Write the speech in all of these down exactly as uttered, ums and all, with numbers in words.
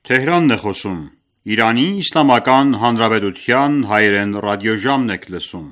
Թեհրանն է խոսում։ Իրանի Իսլամական Հանրապետության հայերեն ռադիոժամն եք լսում։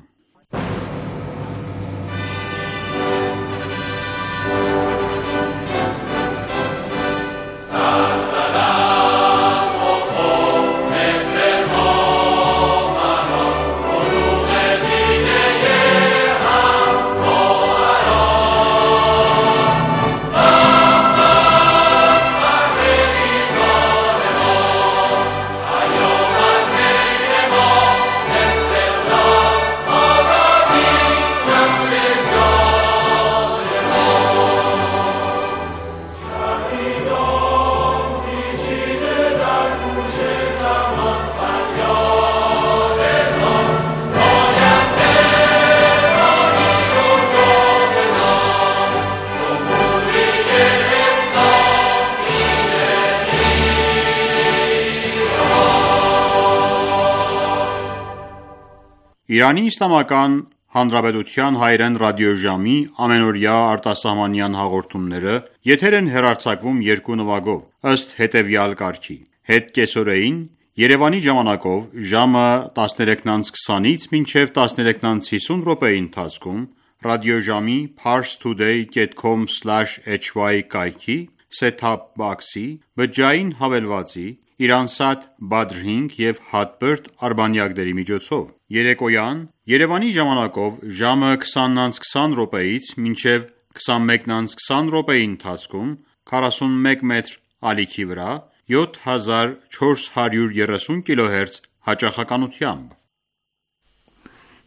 Իրանի Իսլամական Հանրապետության հայերեն ռադիոժամի ամենօրյա արտասահմանյան հաղորդումները եթեր են հեռարձակվում երկու նվագով, ըստ հետևյալ կարգի. Հետկեսօրեին Երևանի ժամանակով ժամը տասներեքից քսանից մինչև տասներեքից հիսուն րոպեի ընթացքում ռադիոժամի parstoday dot com slash h y կայքի set-top box-ի բջջային հավելվածի Իրանսատ Badr հինգ և Hotbird արբանյակների միջոցով։ Երեկոյան Երևանի ժամանակով ժամը քսանից քսան րոպեից մինչև քսանմեկից քսան րոպեի ընթացքում քառասունմեկ մետր ալիքի վրա յոթ հազար չորս հարյուր երեսուն կիլոհերց հաճախականությամբ։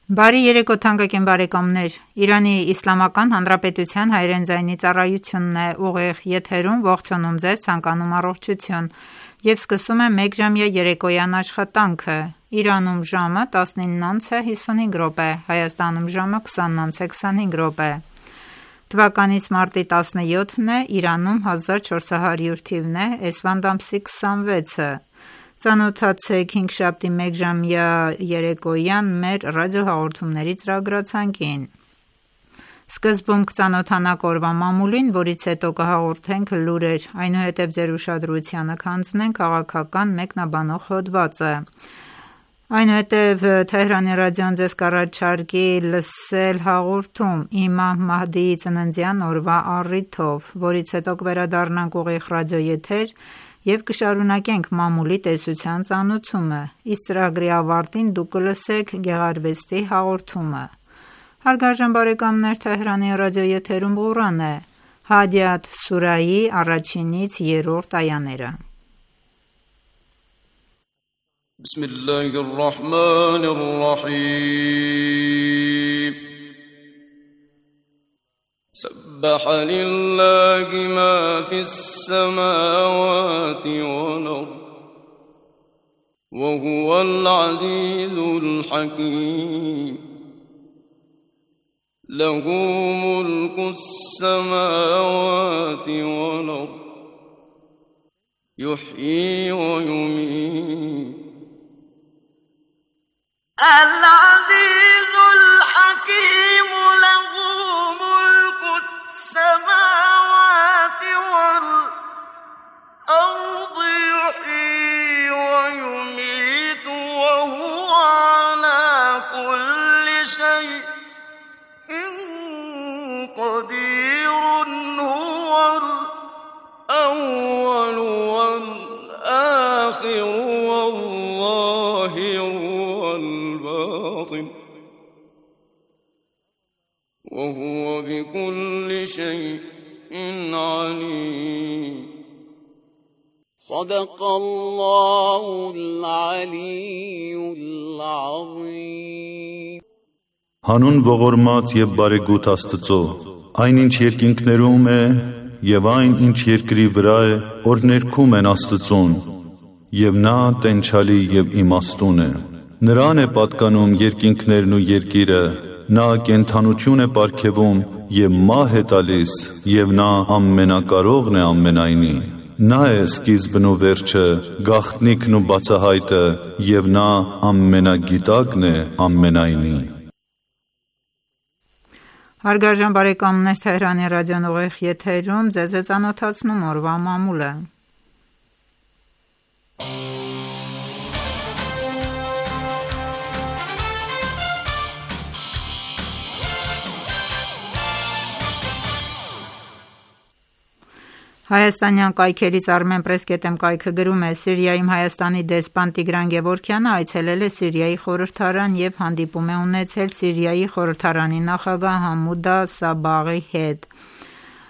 Բարի երեկո թանկագին բարեկամներ, Իրանի Իսլամական Հանրապետության հայերեն ձայնի ծառայությունն է ուղիղ եթերում ողջունում ձեզ, ցանկանում առողջություն և սկսում է մեկ ժամյա երեկոյան աշխատանքը։ Իրանում ժամը տասնինից հիսունհինգ րոպե, Հայաստանում ժամը քսանից քսանհինգ րոպե։ Թվականից մարտի տասնյոթն է, Իրանում հազար չորս հարյուր թիվն է, էսվանդ ամսի քսանվեցը։ Ծանոթացեք հինգշաբթի մեկժամյա երեկոյան մեր ռադիոհաղորդումների ծրագրացանկին։ Սկզբում կծանոթանանք օրվա մամուլին, որից հետո կհաղորդենք լուրեր, այնուհետև ձեր ուշադրությանը կհանձնենք քաղաքական մեկնաբանող հոդվածը։ Այնուհետև Թեհրանի ռադիոն ձեզ կառաջարկի լսել հաղորդում Իմամ Մահդիի ծննդյան օրվա առիթով, որից հետո կվերադառնանք ուղիղ ռադիոեթեր և կշարունակենք մամուլի տեսության ծանոթումը, իսկ ծրագրի ավարտին դուք կլսեք գեղարվեստի հաղորդումը։ Հարգարժան բարեկամներ, Թեհրանի ռադիոեթերում Ղուրան է, Հադիաթ սուրայի առաջինից երրորդ այաները։ Բիսմիլլահիր ռահմանիր ռահիմ سبح لله ما في السماوات والأرض وهو العزيز الحكيم له ملك السماوات والأرض يحيي ويميت العزيز الحكيم له السماوات والأرض يحيي ويميت وهو على كل شيء قدير هو الأول والآخر والظاهر والباطن وهو بكل شيء عليم صدق الله العلي العظيم Հանուն ողորմած և բարեգութ Աստծո, այն ինչ երկինքներում է և այն ինչ երկրի վրա է, որ ներքում են Աստծուն, և նա տենչալի և իմաստուն է։ Նրան է պատկանում երկինքներն ու երկիրը, նա կենդանություն է պարգևում և մահ է տալիս, և նա ամենակարողն է ամենայնի։ Նա է սկիզբն ու վերջը, գաղտնիքն ու բացահայտը, և նա ամենագիտակն է ամենայնի։ Հարգարժան բարեկամներ, Թեհրանի ռադիոն ուղիղ եթերում ձեզ է ծանոթացնում օրվա մամուլը։ Հայաստանյան կայքերից Armenpress.am կայքը գրում է. Սիրիայում Հայաստանի դեսպան Տիգրան Գևորգյանը այցելել է Սիրիայի խորհրդարան և հանդիպում է ունեցել Սիրիայի խորհրդարանի նախագահ Համուդա Սաբաղի հետ։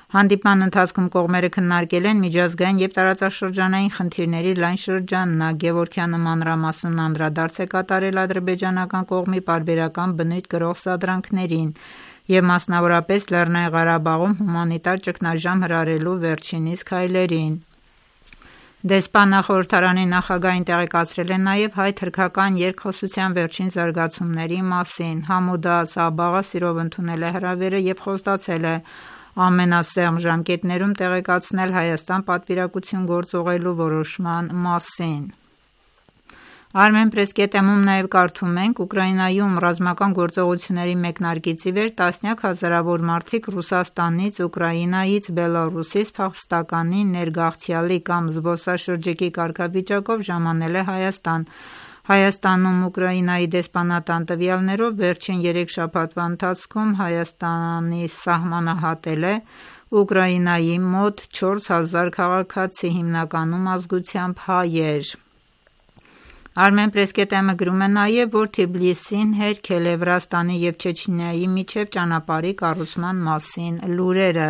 Հանդիպման ընթացքում կողմերը քննարկել են միջազգային և տարածաշրջանային խնդիրների լայն շրջանակ։ Գևորգյանը մանրամասն անդրադարձ է կատարել ադրբեջանական կողմի պարբերական բնույթ կրող սադրանքներին և մասնավորապես Լեռնային Ղարաբաղում հումանիտար ճգնաժամ հրահրելու վերջինիս քայլերին։ Դեսպանը խորհրդարանի նախագահին տեղեկացրել է նաև հայ-թուրքական երկխոսության վերջին զարգացումների մասին։ Համուդա Սաբաղը սիրով ընդունել է հրավերը և խոստացել է ամենասեղմ ժամկետներում տեղեկացնել Հայաստան պատվիրակություն գործուղելու որոշման մասին։ Armenpress.am-ում նաև կարդում ենք. Ուկրաինայում ռազմական գործողությունների մեկնարկից ի վեր տասնյակ հազարավոր մարդիկ Ռուսաստանից, Ուկրաինայից, Բելառուսից փախստականի, ներգաղթյալի կամ զբոսաշրջիկի կարգավիճակով ժամանել է Հայաստան։ Հայաստանում Ուկրաինայի դեսպանատան տվյալներով վերջին երեք շաբաթվա ընթացքում Հայաստանի սահմանը հատել է Ուկրաինայի մոտ չորս հազար քաղաքացի, հիմնականում ազգությամբ հայեր։ Armenpress.am-ը գրում է նաև, որ Թբիլիսին հերքել է Վրաստանի և Չեչնիայի միջև ճանապարհի կառուցման մասին լուրերը։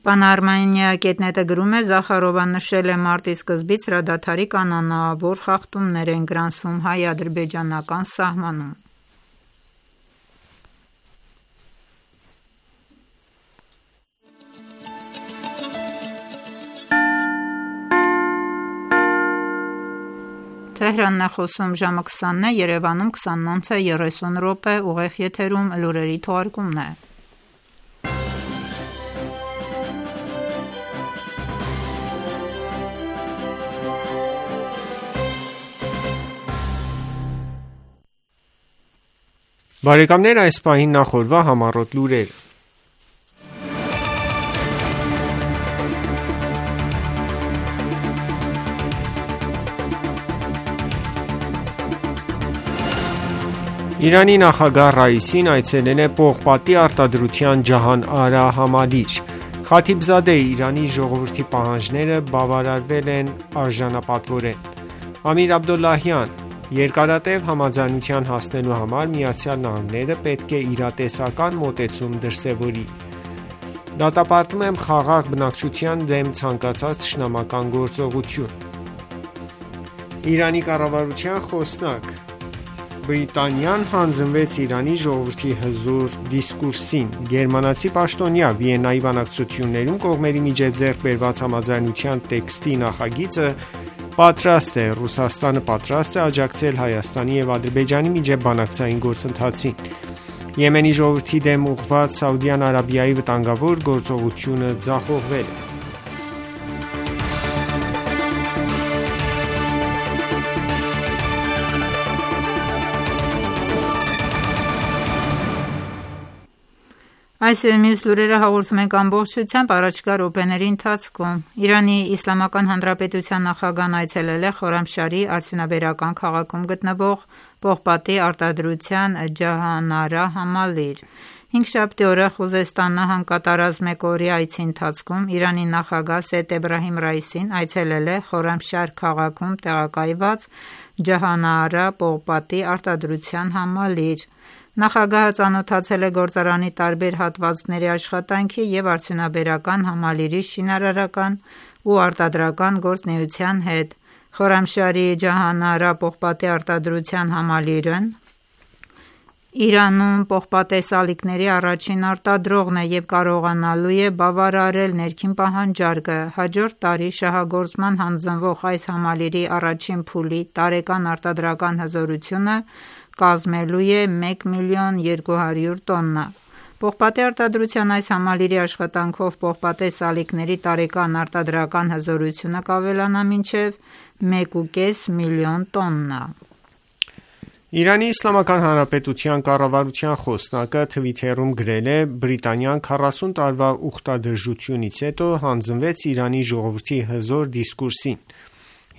Panorama.net-ը գրում է. Զախարովան նշել է մարտի սկզբից հրադադարի կանոնավոր խախտումներ են գրանցվում հայ-ադրբեջանական սահմանում։ Թեհրանն է խոսում, ժամը քսանն է, Երևանում քսանինը երեսուն րոպե, ուղիղ եթերում լուրերի թողարկումն է։ Բարեկամներ, այս պահին նախորվա համառոտ լուրեր։ Իրանի նախագահ Ռայիսին այցելել է պողպատի արտադրության Ջահան Արա համալիր։ Խաթիբզադեի Իրանի ժողովրդի պահանջները բավարարվել են արժանապատվորեն։ Ամիր Աբդոլլահյան. Երկարատև համաձայնության հասնելու համար Միացյալ Նահանգները պետք է իրատեսական մոտեցում դրսևորի։ Դատապարտում եմ խաղաղ բնակչության դեմ ցանկացած թշնամական գործողություն։ Իրանի կառավարության խոսնակ. Բրիտանիան հանձնվեց Իրանի ժողովրդի հզոր դիսկուրսին։ Գերմանացի պաշտոնյա Վիեննայի բանակցություններում կողմերի միջև ձեռք բերված համաձայնության տեքստի նախագիծը պատրաստ է։ Ռուսաստանը պատրաստ է աջակցել Հայաստանի և Ադրբեջանի միջև բանակցային գործընթացին։ Եմենի ժողովրդի դեմ ուղղված Սաուդյան Արաբիայի վտանգավոր գործողությունը ձախողվել է։ Այս և մյուս լուրերը հաղորդում ենք ամբողջությամբ առաջիկա րոպեների ընթացքում։ Իրանի Իսլամական Հանրապետության նախագահն այցելել է Խորամշահրի արդյունաբերական քաղաքում գտնվող պողպատի արտադրության Ջահանարա համալիր։ Հինգշաբթի օրը Խուզեստան նահանգ կատարած մեկօրյա այցի ընթացքում Իրանի նախագահ Սեյեդ Էբրահիմ Ռայիսին այցելել է Խորամշահր քաղաքում տեղակայված Ջահանարա պողպատի արտադրության համալիր։ Նախագահը ծանոթացել է գործարանի տարբեր հատվածների աշխատանքի և արդյունաբերական համալիրի շինարարական ու արտադրական գործունեության հետ։ Խորամշահրի Ջահանարա պողպատի արտադրության համալիրն Իրանում պողպատե սալիկների առաջին արտադրողն է և կարողանալու է բավարարել ներքին պահանջարկը։ Հաջորդ տարի շահագործման հանձնվող այս համալիրի առաջին փուլի տարեկան արտադրական հզորությունը կազմելու է մեկ միլիոն երկու հարյուր տոննա։ Պողպատե արտադրության այս համալիրի աշխատանքով պողպատե սալիկների տարեկան արտադրական հզորությունը կավելանա մինչև մեկ ու կես միլիոն տոննա։ Իրանի Իսլամական Հանրապետության կառավարության խոսնակը Թվիթերում գրել է. Բրիտանիան քառասուն տարվա ուխտադրժությունից հետո հանձնվեց Իրանի ժողովրդի հզոր դիսկուրսին։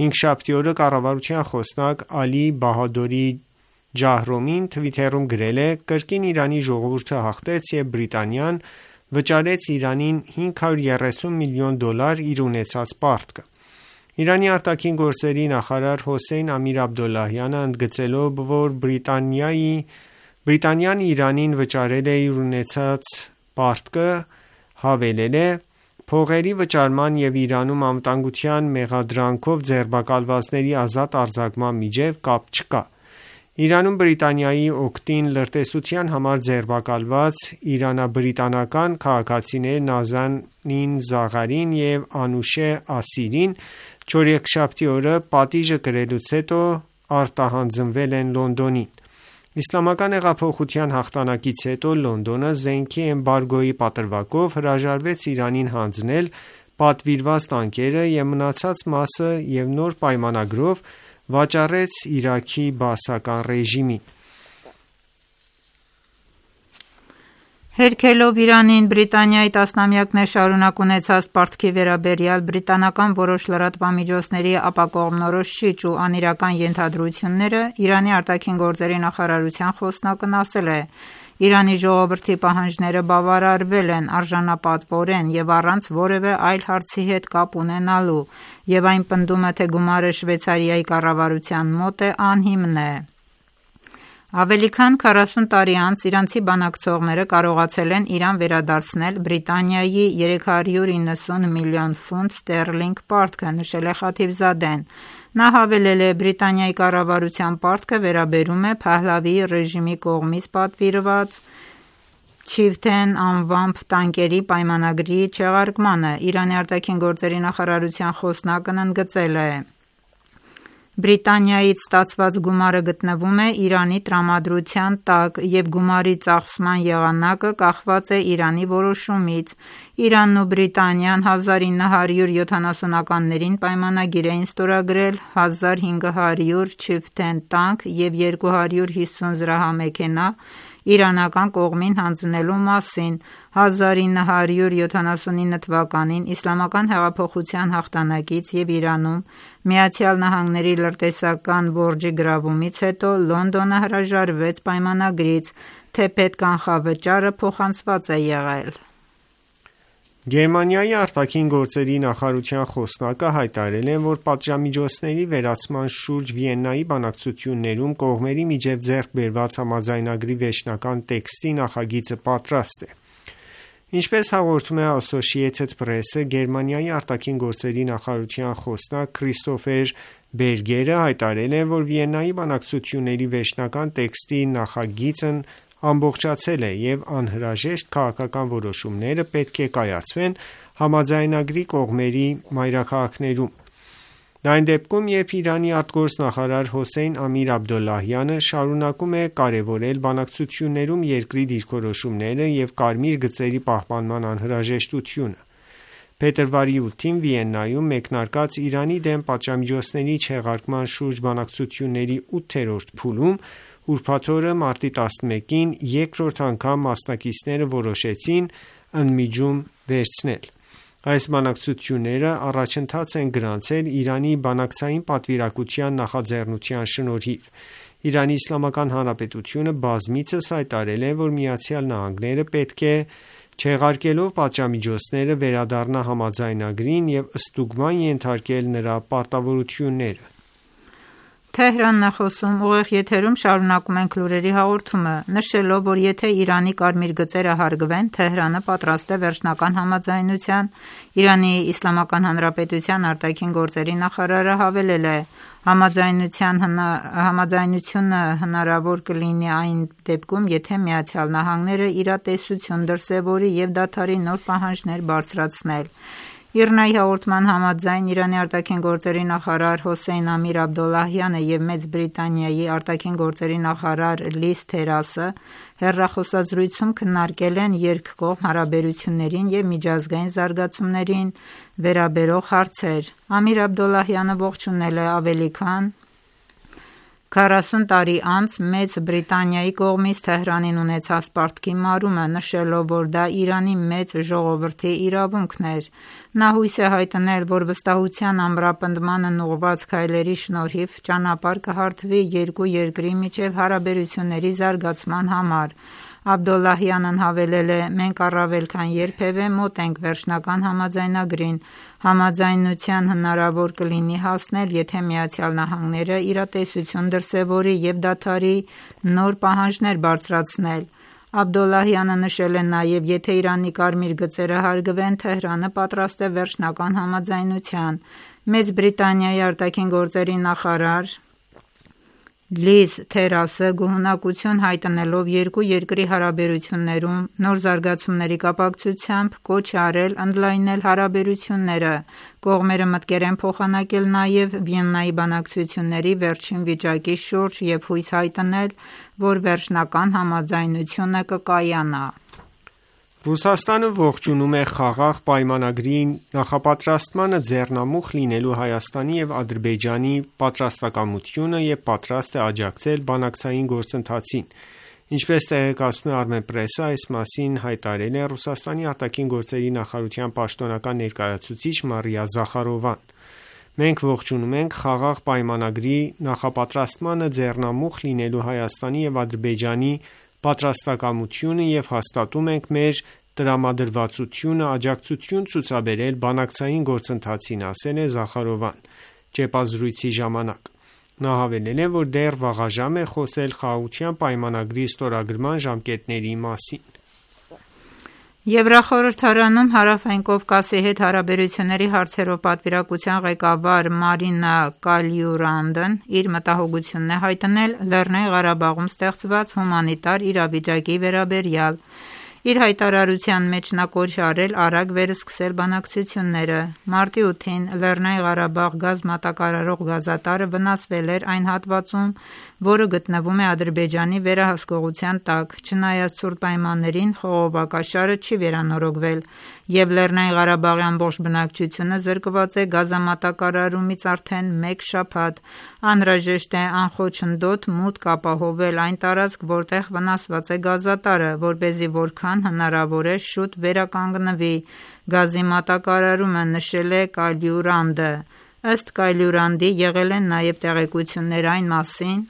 Հինգշաբթի օրը կառավարության խոսնակ Ալի Բահադորի Ջահրոմին Twitter-ում գրել է. «Կրկին Իրանի ժողովուրդը հաղթեց և Բրիտանիան վճարեց Իրանին հինգ հարյուր երեսուն միլիոն դոլար իր ունեցած պարտքը»։ Իրանի արտաքին գործերի նախարար Հոսեյն Ամիր Աբդոլլահյանը ընդգծելով, որ Բրիտանիան Իրանին վճարել է իր ունեցած պարտքը, հավելել է. «Փողերի վճարման և Իրանում անվտանգության մեղադրանքով ձերբակալվածների ազատ արձակման միջև կապ չկա»։ Իրանում Բրիտանիայի օգտին լրտեսության համար ձերբակալված իրանաբրիտանական քաղաքացիներ Նազանին Զաղարին և Անուշե Ասիրին չորեքշաբթի օրը պատիժը կրելուց հետո արտահանձնվել են Լոնդոնին։ Իսլամական հեղափոխության հաղթանակից հետո Լոնդոնը զենքի էմբարգոյի պատրվակով հրաժարվեց Իրանին հանձնել պատվիրված տանկերը և մնացած մասը և նոր պայմանագրով վաճառեց Իրաքի բաասական ռեժիմին։ Հերքելով Իրանին Բրիտանիայի տասնամյակներ շարունակ ունեցած պարտքի վերաբերյալ բրիտանական որոշ լրատվամիջոցների ապակողմնորոշիչ ու անիրական ենթադրությունները, Իրանի արտաքին գործերի նախարարության խոսնակն ասել է. «Իրանի ժողովրդի պահանջները բավարարվել են արժանապատվորեն և առանց որևէ այլ հարցի հետ կապ ունենալու, և այն պնդումը, թե գումարը Շվեյցարիայի կառավարության մոտ է, անհիմն է»։ Ավելի քան քառասուն տարի անց իրանցի բանակցողները կարողացել են Իրան վերադարձնել Բրիտանիայի երեք հարյուր իննսուն միլիոն ֆունտ ստերլինգ պարտքը, նշել է Խաթիվզադեն։ Նա հավելել է. «Բրիտանիայի կառավարության պարտքը վերաբերում է Փահլավիի ռեժիմի կողմից պատվիրված Chieftain անվամբ տանկերի պայմանագրի չեղարկմանը»։ Իրանի արտաքին գործերի նախարարության խոսնակն ընդգծել է. «Բրիտանիայից ստացված գումարը գտնվում է Իրանի տրամադրության տակ, և գումարի ծախսման եղանակը կախված է Իրանի որոշումից։ Իրանն ու Բրիտանիան հազար ինը հարյուր յոթանասունականներին պայմանագիր էին ստորագրել հազար հինգ հարյուր Chieftain տանկ և երկու հարյուր հիսուն զրահամեքենա իրանական կողմին հանձնելու մասին։ հազար ինը հարյուր յոթանասունինը թվականին Իսլամական հեղափոխության հաղթանակից և Իրանում ԱՄՆ-ի լրտեսական որջի գրավումից հետո Լոնդոնը հրաժարվեց պայմանագրից, թեպետ կանխավճարը փոխանցված է եղել»։ Գերմանիայի արտաքին գործերի նախարարության խոսնակը հայտարարել է, որ պատժամիջոցների վերացման շուրջ Վիեննայի բանակցություններում կողմերի միջև ձեռք բերված համաձայնագրի վերջնական տեքստի նախագիծը պատրաստ է։ Ինչպես հաղորդում է Associated Press-ը, Գերմանիայի արտաքին գործերի նախարարության խոսնակ Քրիստոֆեր Բերգերը հայտարարել է, որ Վիեննայի բանակցությունների վերջնական տեքստի նախագիծն ամբողջացել է և անհրաժեշտ քաղաքական որոշումները պետք է կայացվեն համաձայնագրի կողմերի մայրաքաղաքներում։ Դա այն դեպքում, երբ Իրանի արտգործնախարար Հոսեյն Ամիր Աբդոլլահյանը շարունակում է կարևորել բանակցություններում երկրի դիրքորոշումները և կարմիր գծերի պահպանման անհրաժեշտությունը։ Փետրվարի ութին Վիեննայում մեկնարկած Իրանի դեմ պատժամիջոցների չեղարկման շուրջ բանակցությունների ութերորդ փուլում ուրբաթ օրը մարտի տասնմեկին երկրորդ անգամ մասնակիցները որոշեցին ընդմիջում վերցնել։ Այս բանակցությունները առաջընթաց են գրանցել Իրանի բանակցային պատվիրակության նախաձեռնության շնորհիվ։ Իրանի Իսլամական Հանրապետությունը բազմիցս հայտարարել է, որ Միացյալ Նահանգները պետք է չեղարկելով պատժամիջոցները վերադառնա համաձայնագրին և ստուգման ենթարկել նրա պարտավորությունները։ Թեհրանն է խոսում, ուղիղ եթերում շարունակում ենք լուրերի հաղորդումը, նշելով, որ եթե Իրանի կարմիր գծերը հարգվեն, Թեհրանը պատրաստ է վերջնական համաձայնության։ Իրանի Իսլամական Հանրապետության արտաքին գործերի նախարարը հավելել է. «Համաձայնությունը հնարավոր կլինի այն դեպքում, եթե Միացյալ Նահանգները իրատեսություն դրսևորի և դադարի նոր պահանջներ բարձրացնել»։ ԻՌՆԱ-ի հաղորդման համաձայն Իրանի արտաքին գործերի նախարար Հոսեյն Ամիր Աբդոլլահյանը և Մեծ Բրիտանիայի արտաքին գործերի նախարար Լիզ Թերասը հեռախոսազրույցում քննարկել են երկկողմ հարաբերություններին և միջազգային զարգացումներին վերաբերող հարցեր։ Ամիր Աբդոլլահյանը ողջունել է ավելի քան քառասուն տարի անց Մեծ Բրիտանիայի կողմից Թեհրանին ունեցած պարտքի մարումը, նշելով, որ դա Իրանի մեծ ժողովրդի իրավունքն էր։ Նա հույս է հայտնել, որ վստահության ամրապնդմանն ուղղված քայլերի շնորհիվ ճանապարհ կհարթվի երկու երկրի միջև հարաբերությունների զարգացման համար։ Աբդոլլահյանն հավելել է. «Մենք առավել քան երբևէ մոտ ենք վերջնական համաձայնագրին։ Համաձայնության հնարավոր կլինի հասնել, եթե Միացյալ Նահանգները իրատեսություն դրսևորի և դադարի նոր պահանջներ բարձրացնել»։ Աբդոլլահյանը նշել է նաև, եթե Իրանի կարմիր գծերը հարգվեն, Թեհրանը պատրաստ է վերջնական համաձայնության։ Մեծ Բրիտանիայի արտաքին գործերի նախարար Լիզ Թերասը գոհունակություն հայտնելով երկու երկրի հարաբերություններում նոր զարգացումների կապակցությամբ կոչ է արել ընդլայնել հարաբերությունները։ Կողմերը մտկեր են փոխանակել նաև Վիեննայի բանակցությունների վերջին վիճակի շուրջ և հույս հայտնել, որ վերջնական համաձայնությունը կկայանա։ Ռուսաստանը ողջունում է խաղաղ պայմանագրի նախապատրաստմանը ձեռնամուխ լինելու Հայաստանի և Ադրբեջանի պատրաստակամությունը և պատրաստ է աջակցել բանակցային գործընթացին։ Ինչպես տեղեկացնում է Armenpress-ը, այս մասին հայտարարել է Ռուսաստանի արտաքին գործերի նախարարության պաշտոնական ներկայացուցիչ Մարիա Զախարովան։ Մենք ողջունում ենք խաղաղ պայմանագրի նախապատրաստմանը ձեռնամուխ լինելու Հայաստանի և Ադրբեջանի պատրաստակամությունը և հաստատում ենք մեր տրամադրվածությունը աջակցություն ցուցաբերել բանակցային գործընթացին, ասել է Զախարովան ճեպազրույցի ժամանակ։ Նա հավելել է, որ դեռ վաղաժամ է խոսել խաղաղության պայմանագրի ստորագրման ժամկետների մասին։ Եվրախորհրդարանում Հարավային Կովկասի հետ հարաբերությունների հարցերով պատվիրակության ղեկավար Մարինա Կալյուրանդն իր մտահոգությունն է հայտնել Լեռնային Ղարաբաղում ստեղծված հումանիտար իրավիճակի վերաբերյալ։ Իր հայտարարության մեջ նա կոչ է արել արագ վերսկսել բանակցությունները։ Մարտի ութին Լեռնային Ղարաբաղ գազ մատակարարող գազատարը վնասվել էր այն հատվածում, որը գտնվում է Ադրբեջանի վերահսկողության տակ։ Չնայած ցուրտ պայմաններին, խողովակաշարը չի վերանորոգվել, և Լեռնային Ղարաբաղի ամբողջ բնակչությունը զրկված է գազամատակարարումից արդեն մեկ շաբաթ։ Անհրաժեշտ է անխոչնդոտ մուտք ապահովել այն տարածք, որտեղ վնասված է գազատարը, որպեսզի որքան հնարավոր է շուտ վերականգնվի գազի մատակարարումը, նշել է Կալյուրանդը։ Ըստ Կալյուրանդի, եղել են նաև տեղեկություններ այն մասին,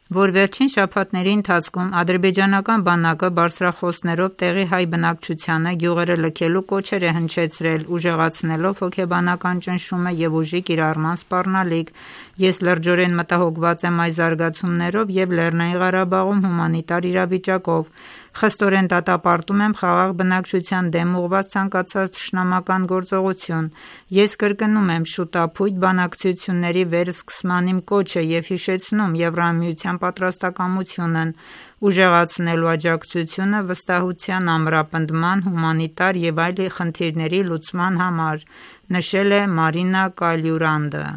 որ վերջին շաբաթների ընթացքում ադրբեջանական բանակը բարձրախոսներով տեղի հայ բնակչությանը գյուղերը լքելու կոչեր է հնչեցրել, ուժեղացնելով հոգեբանական ճնշումը և ուժի կիրառման սպառնալիք։ Ես լրջորեն մտահոգված եմ այս զարգացումներով և Լեռնային Ղարաբաղում հումանիտար իրավիճակով։ Խստորեն դատապարտում եմ խաղաղ բնակչության դեմ ուղղված ցանկացած թշնամական գործողություն։ Ես կրկնում եմ շուտափույթ բանակցությունների վերսկսման իմ կոչը և հիշեցնում Եվրամիության պատրաստակամությունն ուժեղացնելու աջակցությունը վստահության ամրապնդման, հումանիտար և այլ խնդիրների լուծման համար, նշել է Մարինա Կալյուրանդը։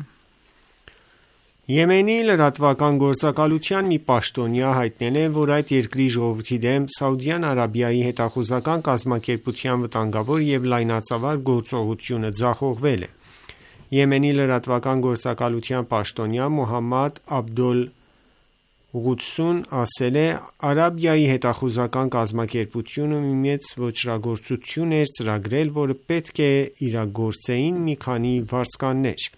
Եմենի լրատվական գործակալության մի պաշտոնյա հայտնել է, որ այդ երկրի ժողովրդի դեմ Սաուդյան Արաբիայի հետախուզական կազմակերպության վտանգավոր և լայնածավալ գործողությունը ձախողվել է։ Եմենի լրատվական գործակալության պաշտոնյա Մոհամմադ Աբդոլ Ղուդսուն ասել է. «Արաբիայի հետախուզական կազմակերպությունը մի մեծ ոճրագործություն էր ծրագրել, որը պետք է իրագործեին մի քանի վարձկաններ»։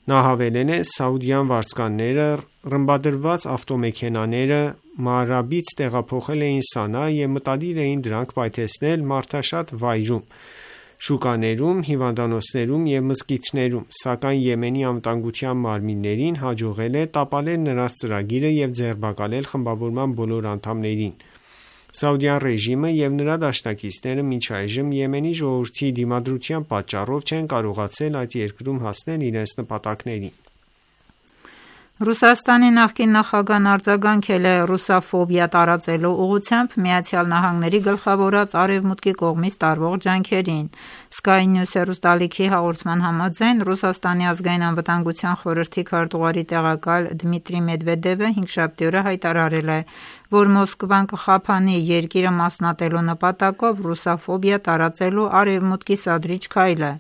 Նա հավելել է. «Սաուդյան վարձկանները ռմբադրված ավտոմեքենաները Մաարաբից տեղափոխել էին Սանա և մտադիր էին դրանք պայթեցնել մարդաշատ վայրում, շուկաներում, հիվանդանոցներում և մզկիթներում, սակայն Եմենի անվտանգության մարմիններին հաջողել է տապալել նրանց ծրագիրը և ձերբակալել խմբավորման բոլոր անդամներին»։ Սաուդյան ռեժիմը և նրա դաշնակիցները մինչ այժմ Եմենի ժողովրդի դիմադրության պատճառով չեն կարողացել այդ երկրում հասնել իրենց նպատակներին։ Ռուսաստանի նախկին նախագահն արձագանքել է ռուսաֆոբիա տարածելու ուղղությամբ ԱՄՆ-ի գլխավորած Արևմուտքի կողմից տարվող ջանքերին։ Sky News հեռուստաալիքի հաղորդման համաձայն Ռուսաստանի ազգային անվտանգության խորհրդի քարտուղարի տեղակալ Դմիտրի Մեդվեդևը հինգշաբթի օրը հայտարարել է, որ Մոսկվան կխափանի երկիրը մասնատելու նպատակով ռուսաֆոբիա տարածելու Արևմուտքի սադրիչ քայլը։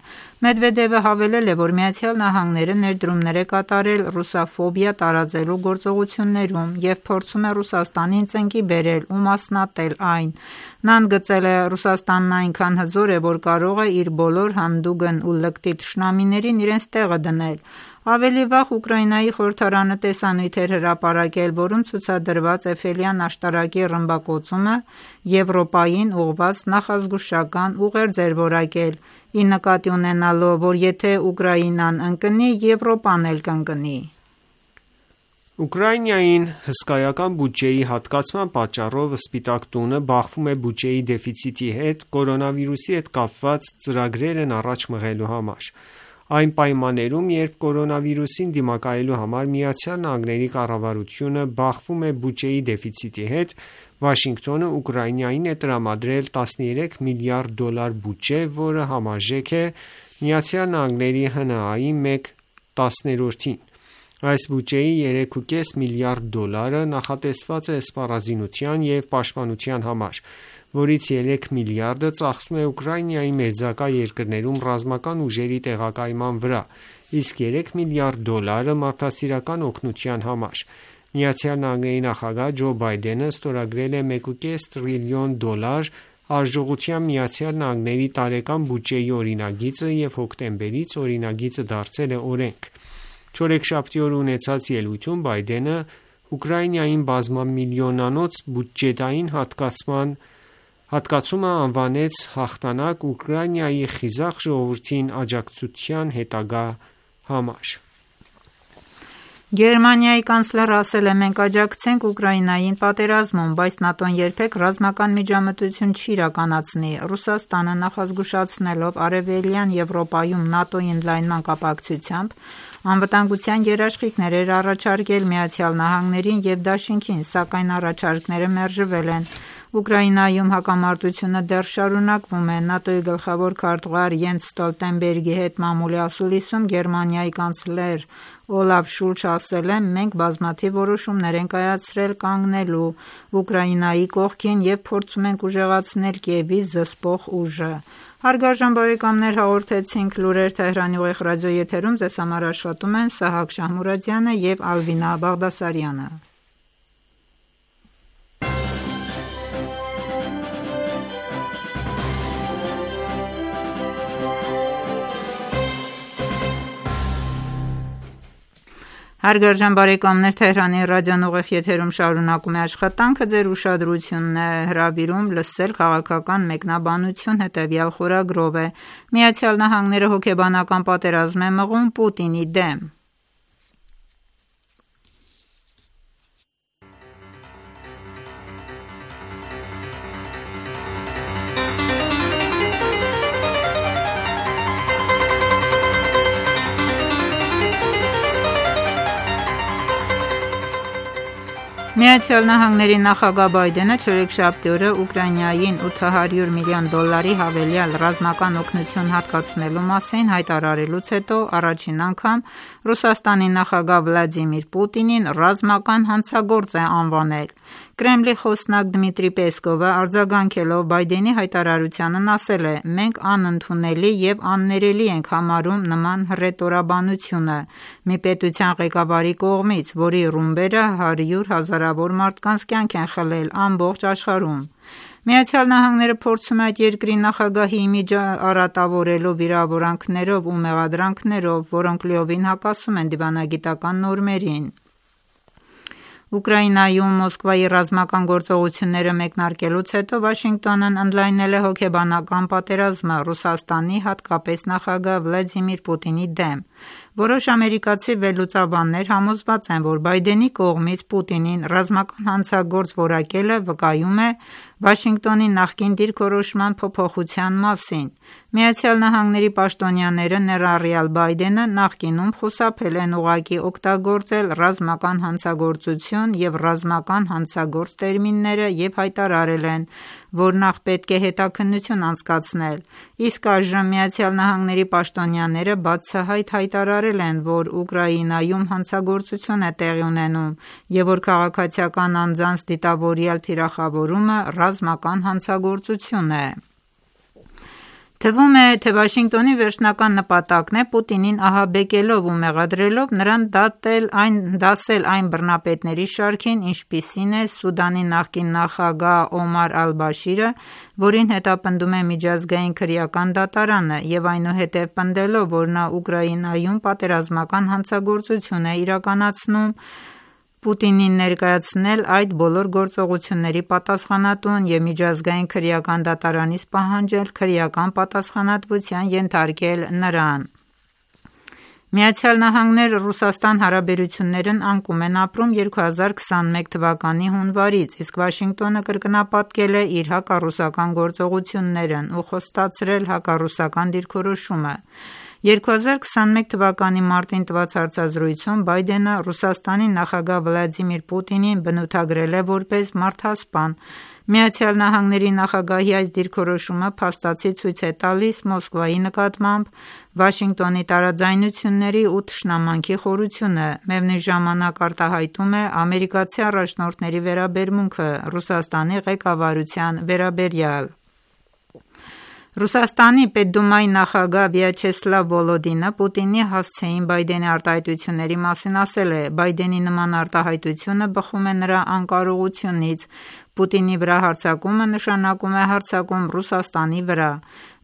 Մեդվեդևը հավելել է, որ Միացյալ Նահանգները ներդրումներ է կատարել ռուսաֆոբիա տեխնոլոգիա տարածելու գործողություններում և փորձում է Ռուսաստանին ծնկի բերել ու մասնատել այն։ Նա ընդգծել է. «Ռուսաստանն այնքան հզոր է, որ կարող է իր բոլոր հանդուգն ու լկտի թշնամիներին իրենց տեղը դնել»։ Ավելի վաղ Ուկրաինայի խորհրդարանը տեսանյութ էր հրապարակել, որում ցուցադրված Էյֆելյան աշտարակի ռմբակոծումը Եվրոպային ուղղված նախազգուշական ուղերձ էր որակել՝ ի նկատի ունենալով, որ եթե Ուկրաինան ընկնի, Եվրոպան էլ կընկնի։ Ուկրաինային հսկայական բյուջեի հատկացման պատճառով Սպիտակ տունը բախվում է բյուջեի դեֆիցիտի հետ կորոնավիրուսի հետ կապված ծրագրերն առաջ մղելու համար։ Այն պայմաններում, երբ կորոնավիրուսին դիմակայելու համար Միացյալ Նահանգների կառավարությունը բախվում է բյուջեի դեֆիցիտի հետ, Վաշինգտոնը Ուկրաինային է տրամադրել տասներեք միլիարդ դոլար բյուջե, որը համարժեք է Միացյալ Նահանգների հ ն ա-ի մեկ տասներորդին։ Այս բյուջեի երեք կόμμα պենս միլիարդ դոլարը նախատեսված է սպառազինության և պաշտպանության համար, որից երեք միլիարդը ծախսվում է Ուկրաինայի մերձակա երկրներում ռազմական ուժերի տեղակայման վրա, իսկ երեք միլիարդ դոլարը մարդասիրական օգնության համար։ Միացյալ Նահանգների նախագահ Ջո Բայդենը ստորագրել է մեկ կόμμα պենս տրիլիոն դոլար արժողությամբ Միացյալ Նահանգների տարեկան բյուջեի օրինագիծը և հոկտեմբերից օրինագիծը դարձել է օրենք։ Չորեքշաբթի օրը ունեցած ելույթում Բայդենը Ուկրաինային բազմամիլիոնանոց բյուջետային հատկացման հատկացումը անվանեց հաղթանակ Ուկրաինայի խիզախ ժողովրդին աջակցության հետագա համար։ Գերմանիայի կանցլերը ասել է. «Մենք աջակցենք Ուկրաինային պատերազմում, բայց ՆԱՏՕ-ն երբեք ռազմական միջամտություն չի իրականացնի»։ Ռուսաստանը նախազգուշացնելով Արևելյան Եվրոպայում ՆԱՏՕ-ի ընդլայնման կապակցությամբ անվտանգության երաշխիքներ էր առաջարկել Միացյալ Նահանգներին և Դաշինքին, սակայն առաջարկները մերժվել են։ Ուկրաինայում հակամարտությունը դեռ շարունակվում է։ ՆԱՏՕ-ի գլխավոր քարտուղար Յենս Ստոլտենբերգի հետ մամուլի ասուլիսում Գերմանիայի կանցլեր Օլաֆ Շուլցը ասել է. «Մենք բազմաթիվ որոշումներ ենք կայացրել կանգնելու Ուկրաինայի կողքին և փորձում ենք ուժեղացնել Կիևի զսպող ուժը»։ Հարգարժան բարեկամներ, հաղորդեցինք լուրեր Թեհրանի ուղիղ ռադիոեթերում, ձեզ համար աշխատում են Սահակ Շահմուրադյանը և Ալվինա Բաղդասարյանը։ Հարգարժան բարեկամներ, Թեհրանի ռադիոն ուղիղ եթերում շարունակում է աշխատանքը, ձեր ուշադրությունն է հրավիրում լսել քաղաքական մեկնաբանություն հետևյալ խորագրով է. Միացյալ Նահանգները հոգեբանական պատերազմ է մղում Պուտինի դեմ։ Միացյալ Նահանգների նախագահ Բայդենը չորեքշաբթի օրը Ուկրաինային ութ հարյուր միլիոն դոլարի հավելյալ ռազմական օգնություն հատկացնելու մասին հայտարարելուց հետո առաջին անգամ Ռուսաստանի նախագահ Վլադիմիր Պուտինին ռազմական հանցագործ է անվանել։ Կրեմլի խոսնակ Դմիտրի Պեսկովը արձագանքելով Բայդենի հայտարարությանն ասել է. «Մենք անընդունելի և աններելի ենք համարում նման հռետորաբանությունը մի պետության ղեկավարի կողմից, որի ռումբերը հարյուր հազարավոր մարդկանց կյանք են խլել ամբողջ աշխարհում»։ Միացյալ Նահանգները փորձում է այդ երկրի նախագահի իմիջը արատավորելու վիրավորանքներով ու մեղադրանքներով, որոնք լիովին հակասում են դիվանագիտական նորմերին։ Ուկրաինայում Մոսկվայի ռազմական գործողությունները մեկնարկելուց հետո Վաշինգտոնն ընդլայնել է հոգեբանական պատերազմը Ռուսաստանի, հատկապես նախագահ Վլադիմիր Պուտինի դեմ։ Որոշ ամերիկացի վերլուծաբաններ համոզված են, որ Բայդենի կողմից Պուտինին ռազմական հանցագործ որակելը վկայում է Վաշինգտոնի նախկին դիրքորոշման փոփոխության մասին։ Միացյալ Նահանգների պաշտոնյաները, ներառյալ Բայդենը, նախկինում խուսափել են ուղղակի օգտագործել ռազմական հանցագործություն և ռազմական հանցագործ տերմինները և հայտարարել են, որ նախ պետք է հետաքննություն անցկացնել, իսկ այժմ Միացյալ Նահանգների պաշտոնյաները բացահայտ հայտարարել են, որ Ուկրաինայում հանցագործություն է տեղի ունենում և որ քաղաքացիական անձանց դիտավորյալ թիրախավորումը ռազմական հանցագործություն է։ Թվում է, թե Վաշինգտոնի վերջնական նպատակն է Պուտինին ահաբեկելով ու մեղադրելով նրան դատել այն, դասել այն բռնապետների շարքին, ինչպիսին է Սուդանի նախկին նախագահ Օմար Ալ-Բաշիրը, որին հետապնդում է միջազգային քրեական դատարանը, և այնուհետև պնդելով, որ նա Ուկրաինայում պատերազմական հանցագործություն է իրականացնում, Պուտինին ներկայացնել այդ բոլոր գործողությունների պատասխանատուն և միջազգային քրեական դատարանից պահանջել քրեական պատասխանատվության ենթարկել նրան։ Միացյալ Նահանգներ Ռուսաստան հարաբերություններն անկում են ապրում երկու հազար քսանմեկ թվականի հունվարից, իսկ Վաշինգտոնը կրկնապատկել է իր հակառուսական գործողություններն ու խոստացրել հակառուսական դիրքորոշումը։ երկու հազար քսանմեկ թվականի մարտին տված հարցազրույցում Բայդենը Ռուսաստանի նախագահ Վլադիմիր Պուտինին բնութագրել է որպես մարդասպան։ Միացյալ Նահանգների նախագահի այս դիրքորոշումը փաստացի ցույց է տալիս Մոսկվայի նկատմամբ Վաշինգտոնի տարաձայնությունների ու թշնամանքի խորությունը, միևնույն ժամանակ արտահայտում է ամերիկացի առաջնորդների վերաբերմունքը Ռուսաստանի ղեկավարության վերաբերյալ։ Ռուսաստանի Պետդումայի նախագահ Վյաչեսլավ Վոլոդինը Պուտինի հասցեին Բայդենի արտահայտությունների մասին ասել է. «Բայդենի նման արտահայտությունը բխում է նրա անկարողությունից։ Պուտինի վրա հարձակումը նշանակում է հարձակում Ռուսաստանի վրա։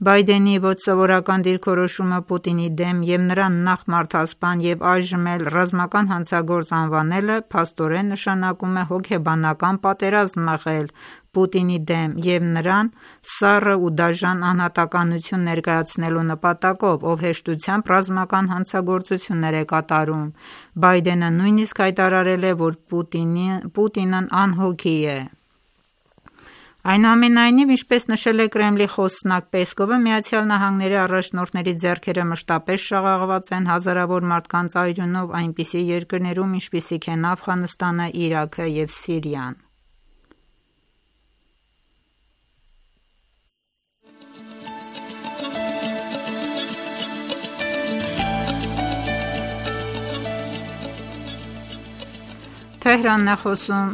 Բայդենի ոչ սովորական դիրքորոշումը Պուտինի դեմ և նրան նախ մարդասպան և այժմ էլ ռազմական հանցագործ անվանելը փաստորեն նշանակում է հոգեբանական պատերազմ մղել Պուտինի դեմ և նրան սառը ու դաժան անհատականություն ներկայացնելու նպատակով, ով հեշտությամբ ռազմական հանցագործություններ է կատարում»։ Բայդենը նույնիսկ հայտարարել է, որ Պուտինն անհոգի է։ Այնուամենայնիվ, ինչպես նշել է Կրեմլի խոսնակ Պեսկովը, Միացյալ Նահանգների առաջնորդների ձեռքերը մշտապես շաղաղված են հազարավոր մարդկանց արյունով այնպիսի երկրներում, ինչպիսիք են Աֆղանստանը, Իրաքը և Սիրիան։ Թեհրանն է խոսում։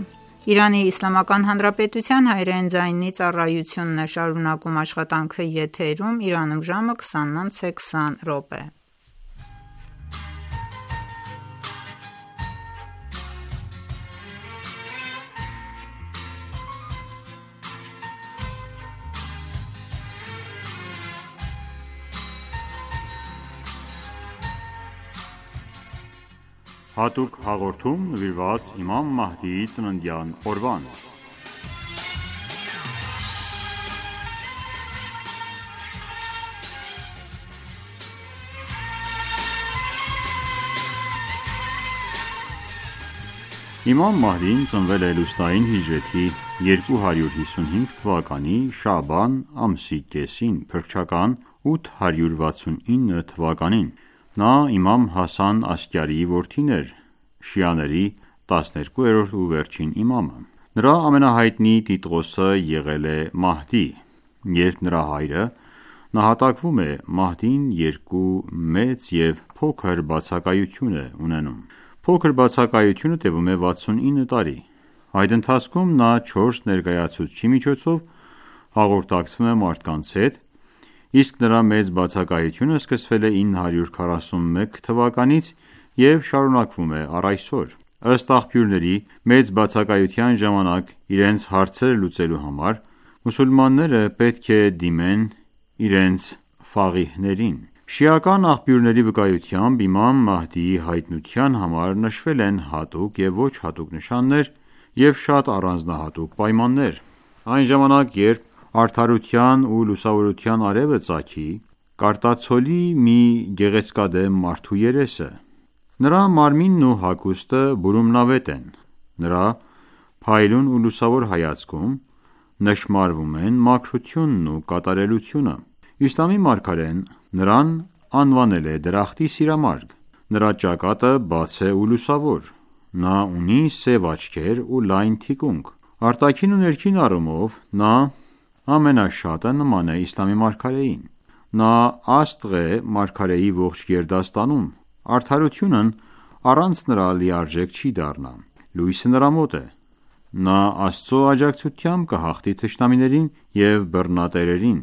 Իրանի Իսլամական Հանրապետության հայերեն ձայնի ծառայությունն է շարունակում աշխատանքը եթերում, Իրանում ժամը քսանն անց է քսան րոպե։ Հատուկ հաղորդում նվիրված իմամ Մահդիի ծննդյան օրվան։ Իմամ Մահդին ծնվել է լուսնային հիջրեթի երկու հարյուր հիսունհինգ թվականի շաաբան ամսի կեսին, փրկչական ութ հարյուր վաթսունինը թվականին։ Նա իմամ Հասան Ասկյարիի որդին էր, շիաների տասներկուերորդ ու վերջին իմամը։ Նրա ամենահայտնի տիտղոսը եղել է Մահդի։ Երբ նրա հայրը նահատակվում է, Մահդին երկու մեծ և փոքր բացակայություն է ունենում։ Փոքր բացակայությունը տևում է վաթսունինը տարի։ Այդ ընթացքում նա չորս ներկայացուցչի միջոցով հաղորդակցվում է մարդկանց հետ, իսկ նրա մեծ բացակայությունը սկսվել է ինը հարյուր քառասունմեկ թվականից և շարունակվում է առ այսօր։ Ըստ աղբյուրների, մեծ բացակայության ժամանակ իրենց հարցերը լուծելու համար մուսուլմանները պետք է դիմեն իրենց ֆաղիհներին։ Շիական աղբյուրների վկայությամբ իմամ Մահդիի հայտնության համար նշվել են հատուկ և ոչ հատուկ նշաններ և շատ առանձնահատուկ պայմաններ։ Այն ժամանակ, երբ արդարության ու լուսավորության արևը ծագի, կարտացոլի մի գեղեցկադեմ մարդու երեսը։ Նրա մարմինն ու հագուստը բուրումնավետ են։ Նրա փայլուն ու լուսավոր հայացքում նշմարվում են մաքրությունն ու կատարելությունը։ Իսլամի մարգարեն նրան անվանել է դրախտի սիրամարգ։ Նրա ճակատը բաց է ու լուսավոր։ Նա ունի սև աչքեր ու լայն թիկունք։ Արտաքին ու ներքին առումով նա ամենաշատը նման է իսլամի մարգարեին։ Նա աստղ է մարգարեի ողջ գերդաստանում։ Արդարությունն առանց նրա լիարժեք չի դառնա։ Լույսը նրա մոտ է։ Նա Աստծո աջակցությամբ կհաղթի թշնամիներին և բռնատերերին։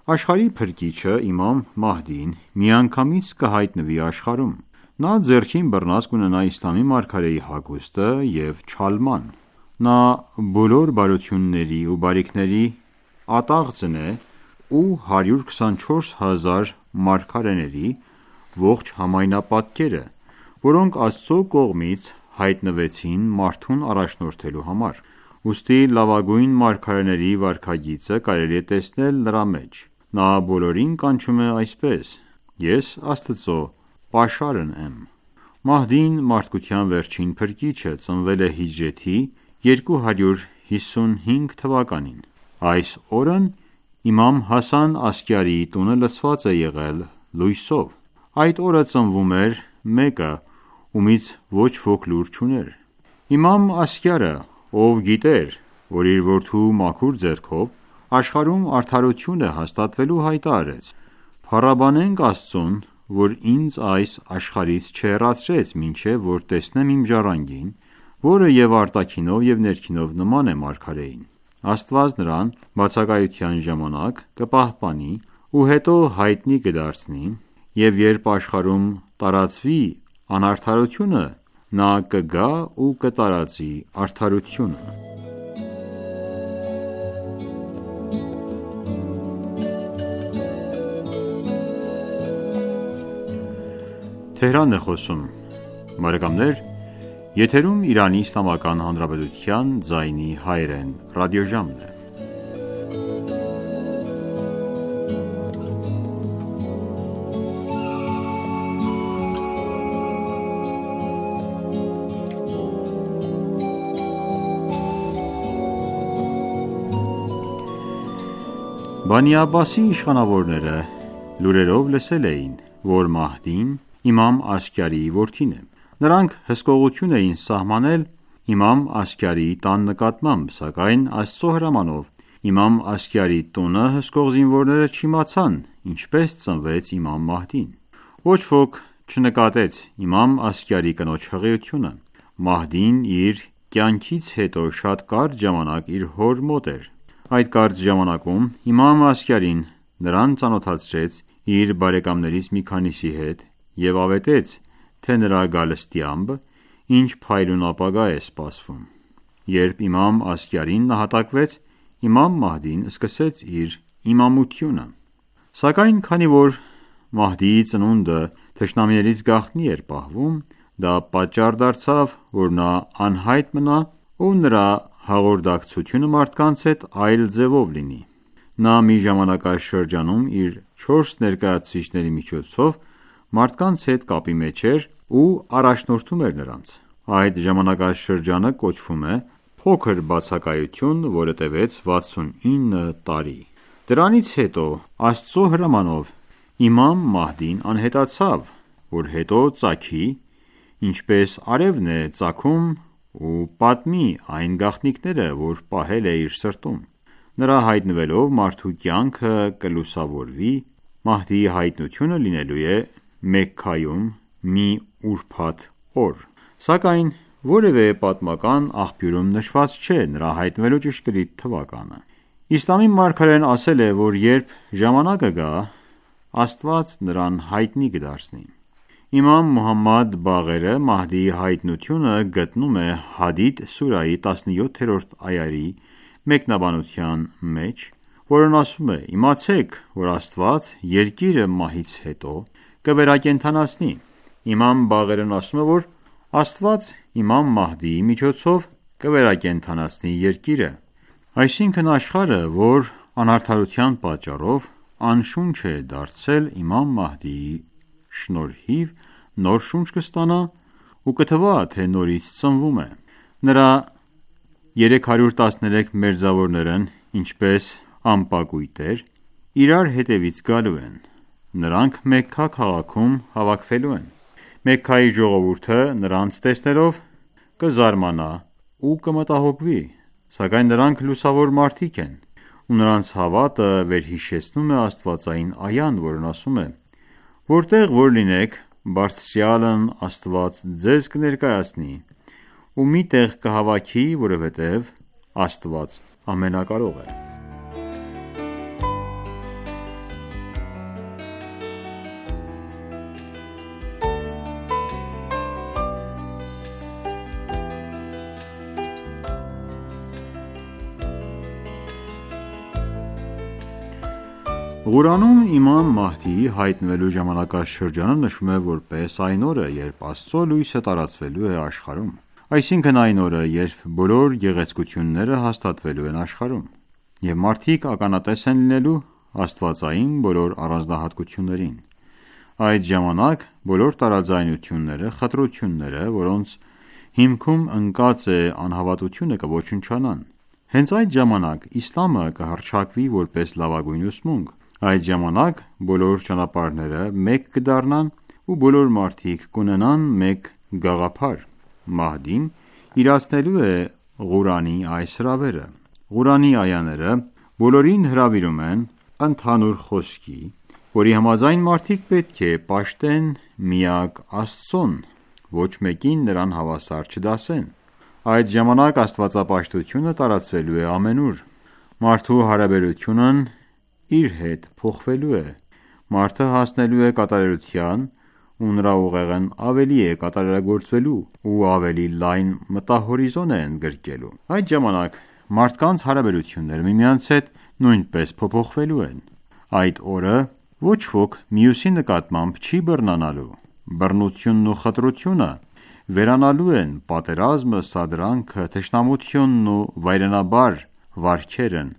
Աշխարհի փրկիչը իմամ Մահդին միանգամից կհայտնվի աշխարհում: Նա ձեռքին բռնած կունենա իսլամի մարգարեի հագուստը և չալման: Նա բոլոր բարությունների ու բարիքների ատաղձն է ու հարյուր քսանչորս հազար մարգարեների ողջ համայնապատկերը, որոնք Աստծո կողմից հայտնվեցին մարդուն առաջնորդելու համար: Ուստի լավագույն մարգարեների վարքագիծը կարելի է տեսնել նրա մեջ: Նա բոլորին կանչում է այսպես. «Ես Աստծո պաշարն եմ»: Մահդին, մարդկության վերջին փրկիչը, ծնվել է հիջրեթի երկու հարյուր հիսունհինգ թվականին: Այս օրն իմամ Հասան Ասկյարիի տունը լցված է եղել լույսով: Այդ օրը ծնվում էր մեկը, ումից ոչ ոք լուր չուներ: Իմամ Ասկյարը, ով գիտեր, որ իր որդու մաքուր ձեռքով աշխարհում արդարություն է հաստատվելու, հայտարարեց. «Փառաբանենք Աստծուն, որ ինձ այս աշխարհից չհեռացրեց, մինչև որ տեսնեմ իմ ժառանգին, որը և արտաքինով և ներքինով նման է մարգարեին: Աստված նրան բացակայության ժամանակ կպահպանի ու հետո հայտնի կդարձնի, և երբ աշխարհում տարածվի անարդարությունը, նա կգա ու կտարածի արդարությունը»: Բանի Աբբասի իշխանավորները լուրերով լսել էին, որ Մահդին իմամ Ասկյարիի որդին է: Նրանք հսկողություն էին սահմանել իմամ Ասկյարիի տան նկատմամբ, սակայն Աստծո հրամանով իմամ Ասկյարիի տունը հսկող զինվորները չիմացան ինչպես ծնվեց իմամ Մահդին: Ոչ ոք չնկատեց իմամ Ասկյարի կնոջ հղիությունը: Մահդին իր կյանքից հետո շատ կարճ ժամանակ իր հոր մոտ էր: Այդ կարճ ժամանակում իմամ Ասկյարին նրան ծանոթացրեց իր բարեկամներից մի քանիսի հետ և ավետեց, թե նրա գալստյամբ ինչ փայլուն ապագա է սպասվում: Երբ իմամ Ասկյարին նահատակվեց, իմամ Մահդին սկսեց իր իմամությունը: Սակայն քանի որ Մահդիի ծնունդը թշնամիներից գաղտնի էր պահվում, դա պատճառ դարձավ, որ նա անհայտ մնա ու նրա հաղորդակցությունը մարդկանց հետ այլ ձևով լինի: Նա մի ժամանակաշրջանում իր չորս ներկայացուցիչների միջոցով մարդկանց հետ կապի մեջ էր ու առաջնորդում էր նրանց: Այդ ժամանակաշրջանը կոչվում է փոքր բացակայություն, որը տևեց վաթսունինը տարի: Դրանից հետո Աստծո հրամանով իմամ Մահդին անհետացավ, որ հետո ծագի, ինչպես արևն է ծագում ու պատմի այն գաղտնիքները, որ պահել է իր սրտում: Նրա հայտնվելով մարդու կյանքը կլուսավորվի: Մահդիի հայտնությունը լինելու է Մեքքայում մի ուրբաթ օր: Սակայն որևէ պատմական աղբյուրում նշված չէ նրա հայտնվելու ճշգրիտ թվականը: Իսլամի մարգարեն ասել է, որ երբ ժամանակը գա, Աստված նրան հայտնի կդարձնի: Իմամ Մոհամմադ Բաղերը Մահդիի հայտնությունը գտնում է Հադիդ սուրայի տասնյոթերորդ այայի մեկնաբանության մեջ, որն ասում է. «Իմացեք, որ Աստված երկիրը մահից հետո կվերակենդանացնի»: Իմամ Բաղերն ասում է, որ Աստված իմամ Մահդիի միջոցով կվերակենդանացնի երկիրը: Այսինքն աշխարհը, որ անարդարության պատճառով անշունչ է դարձել, իմամ Մահդիի շնորհիվ նոր շունչ կստանա ու կթվա, թե նորից ծնվում է: Նրա երեք հարյուր տասներեք մերձավորներն ինչպես ամպակույտեր իրար հետևից գալու են: Նրանք Մեքքա քաղաքում հավաքվելու են: Մեքքայի ժողովուրդը նրանց տեսնելով կզարմանա ու կմտահոգվի: Սակայն նրանք լուսավոր մարդիկ են ու նրանց հավատը վերհիշեցնում է աստվածային այան, որն ասում է. «Որտեղ որ լինեք, Բարձրյալն Աստված ձեզ կներկայացնի ու մի տեղ կհավաքի, որովհետև Աստված ամենակարող է»: Ղուրանում իմամ Մահդիի հայտնվելու ժամանակաշրջանը նշվում է որպես այն օրը, երբ Աստծո լույսը տարածվելու է աշխարհում, այսինքն այն օրը, երբ բոլոր գեղեցկությունները հաստատվելու են աշխարհում, և մարդիկ ականատես են լինելու աստվածային բոլոր առանձնահատկություններին։ Այդ ժամանակ բոլոր տարաձայնությունները, խտրությունները, որոնց հիմքում ընկած է անհավատությունը, կոչնչանան։ Հենց այդ ժամանակ իսլամը կհռչակվի որպես լավագույն ուսմունք։ Այդ ժամանակ բոլոր ճանապարհները մեկ կդառնան ու բոլոր մարդիկ կունենան մեկ գաղափար։ Մահդին իրացնելու է Ղուրանի այս հրավերը։ Ղուրանի այաները բոլորին հրավիրում են ընդհանուր խոսքի, որի համաձայն մարդիկ պետք է պաշտեն միակ Աստծուն, ոչ մեկին նրան հավասար չդասեն։ Այդ ժամանակ աստվածապաշտությունը տարածվելու է ամենուր։ Մարդու հարաբերությունն իր հետ փոխվելու է։ Մարդը հասնելու է կատարելության ու նրա ուղեղն ավելի է կատարելագործվելու ու ավելի լայն մտահորիզոն է ընդգրկելու։ Այդ ժամանակ մարդկանց հարաբերությունները միմյանց հետ նույնպես փոփոխվելու են։ Այդ օրը ոչ ոք մյուսի նկատմամբ չի բռնանալու։ Բռնությունն ու խտրությունը վերանալու են, պատերազմը, սադրանքը, թշնամությունն ու վայրենաբար վարքերն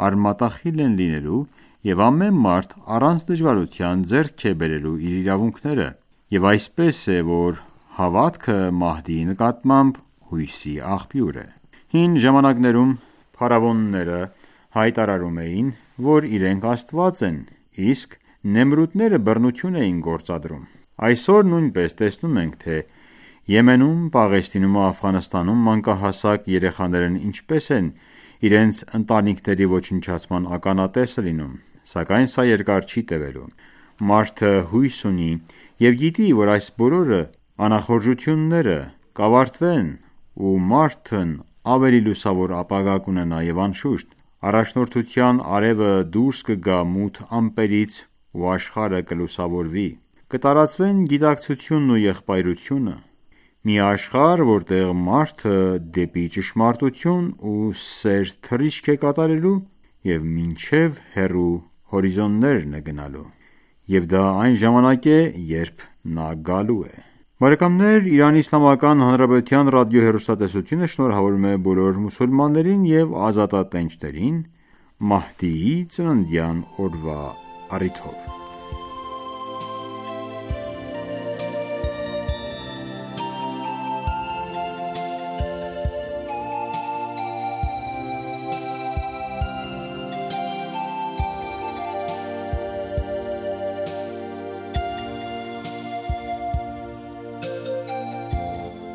արմատախիլ են լինելու, և ամեն մարդ առանց դժվարության ձեռք է բերելու իր իրավունքները, և այսպես է, որ հավատքը Մահդիի նկատմամբ հույսի աղբյուր է։ Հին ժամանակներում փարավոնները հայտարարում էին, որ իրենք Աստված են, իսկ նեմրուտները բռնություն էին գործադրում։ Այսօր նույնպես տեսնում ենք, թե Եմենում, Պաղեստինում ու Աֆղանստանում մանկահասակ երեխաներն ինչպես են իրենց ընտանիքների ոչնչացման ականատեսը լինում, սակայն սա երկար չի տևելու։ Մարդը հույս ունի և գիտի, որ այս բոլոր անախորժությունները կավարտվեն ու մարդն ավելի լուսավոր ապագա կունենա, և անշուշտ առաջնորդության արևը դուրս կգա մութ ամպերից ու աշխարհը կլուսավորվի։ Կտարածվեն գիտակցությունն ու եղբայրությունը։ Մի աշխարհ, որտեղ մարդը դեպի ճշմարտություն ու սեր թռիչք է կատարելու և մինչև հեռու հորիզոններն է գնալու։ Եվ դա այն ժամանակ է, երբ նա գալու է։ Բարեկամներ, Իրանի Իսլամական Հանրապետության ռադիոհեռուստատեսությունը շնորհավորում է բոլոր մուսուլմաններին և ազատատենչներին Մահդիի ծննդյան օրվա առիթով։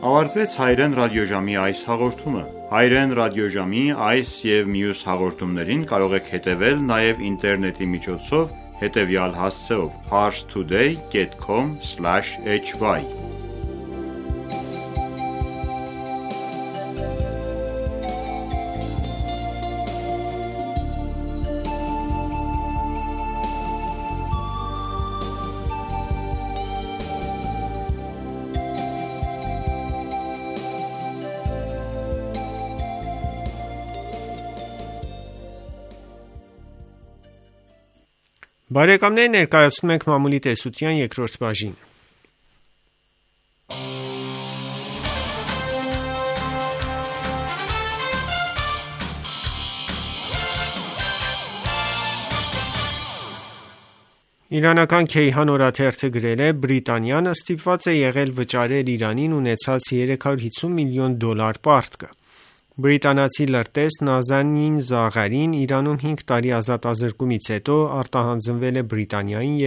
Ավարտվեց Հայրեն ռադիոժամի այս հաղորդումը։ Հայրեն ռադիոժամի այս և մյուս հաղորդումներին կարող եք հետևել նաև ինտերնետի միջոցով հետևյալ հասցեով՝ parstoday dot com slash h y Բարեկամներ, ներկայացնում ենք մամուլի տեսության երկրորդ բաժին։ Իրանական Քեյհան օրաթերթը գրել է. Բրիտանիան ստիպված է եղել վճարել Իրանին ունեցած երեք հարյուր հիսուն միլիոն դոլար պարտքը։ Բրիտանացի լրտես Նազանին Զաղարին Իրանում հինգ տարի ազատազրկումից հետո արտահանձնվել է Բրիտանիային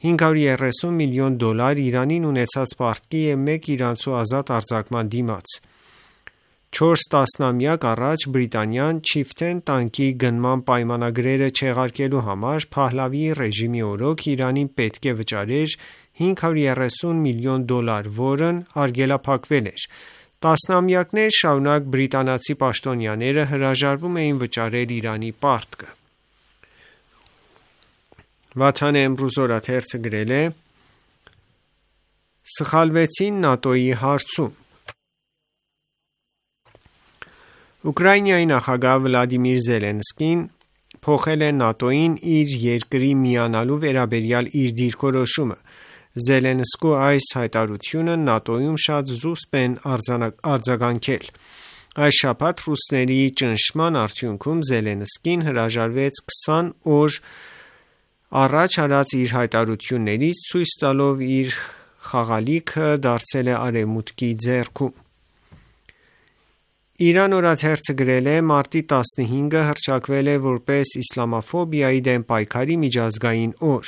հինգ հարյուր երեսուն միլիոն դոլար Իրանին ունեցած պարտքի և մեկ իրանցու ազատ արձակման դիմաց։ Չորս տասնամյակ առաջ Բրիտանիան Չիֆթեն տանկի գնման պայմանագրերը չեղարկելու համար Փահլավիի ռեժիմի օրոք Իրանին պետք է վճարեր հինգ հարյուր երեսուն միլիոն դոլար, որն արգելափակվել էր։ Տասնամյակներ շարունակ բրիտանացի պաշտոնյաները հրաժարվում էին վճարել Իրանի պարտքը։ Վաթան Էմրուզ օրաթերթը գրել է. Սխալվեցին ՆԱՏՕ-ի հարցում։ Ուկրաինայի նախագահ Վլադիմիր Զելենսկին փոխել է ՆԱՏՕ-ին իր երկրի միանալու վերաբերյալ իր դիրքորոշումը։ Զելենսկու այս հայտարարությունը ՆԱՏՕ-ում շատ զուսպ են արձագանքել։ Այս շաբաթ ռուսների ճնշման արդյունքում Զելենսկին հրաժարվեց քսան օր առաջ արած իր հայտարարություններից, ցույց տալով իր խաղալիքը դարձել է Արևմուտքի ձեռքում։ Իրան օրաթերթը գրել է. մարտի տասնհինգը հռչակվել է որպես իսլամաֆոբիայի դեմ պայքարի միջազգային օր։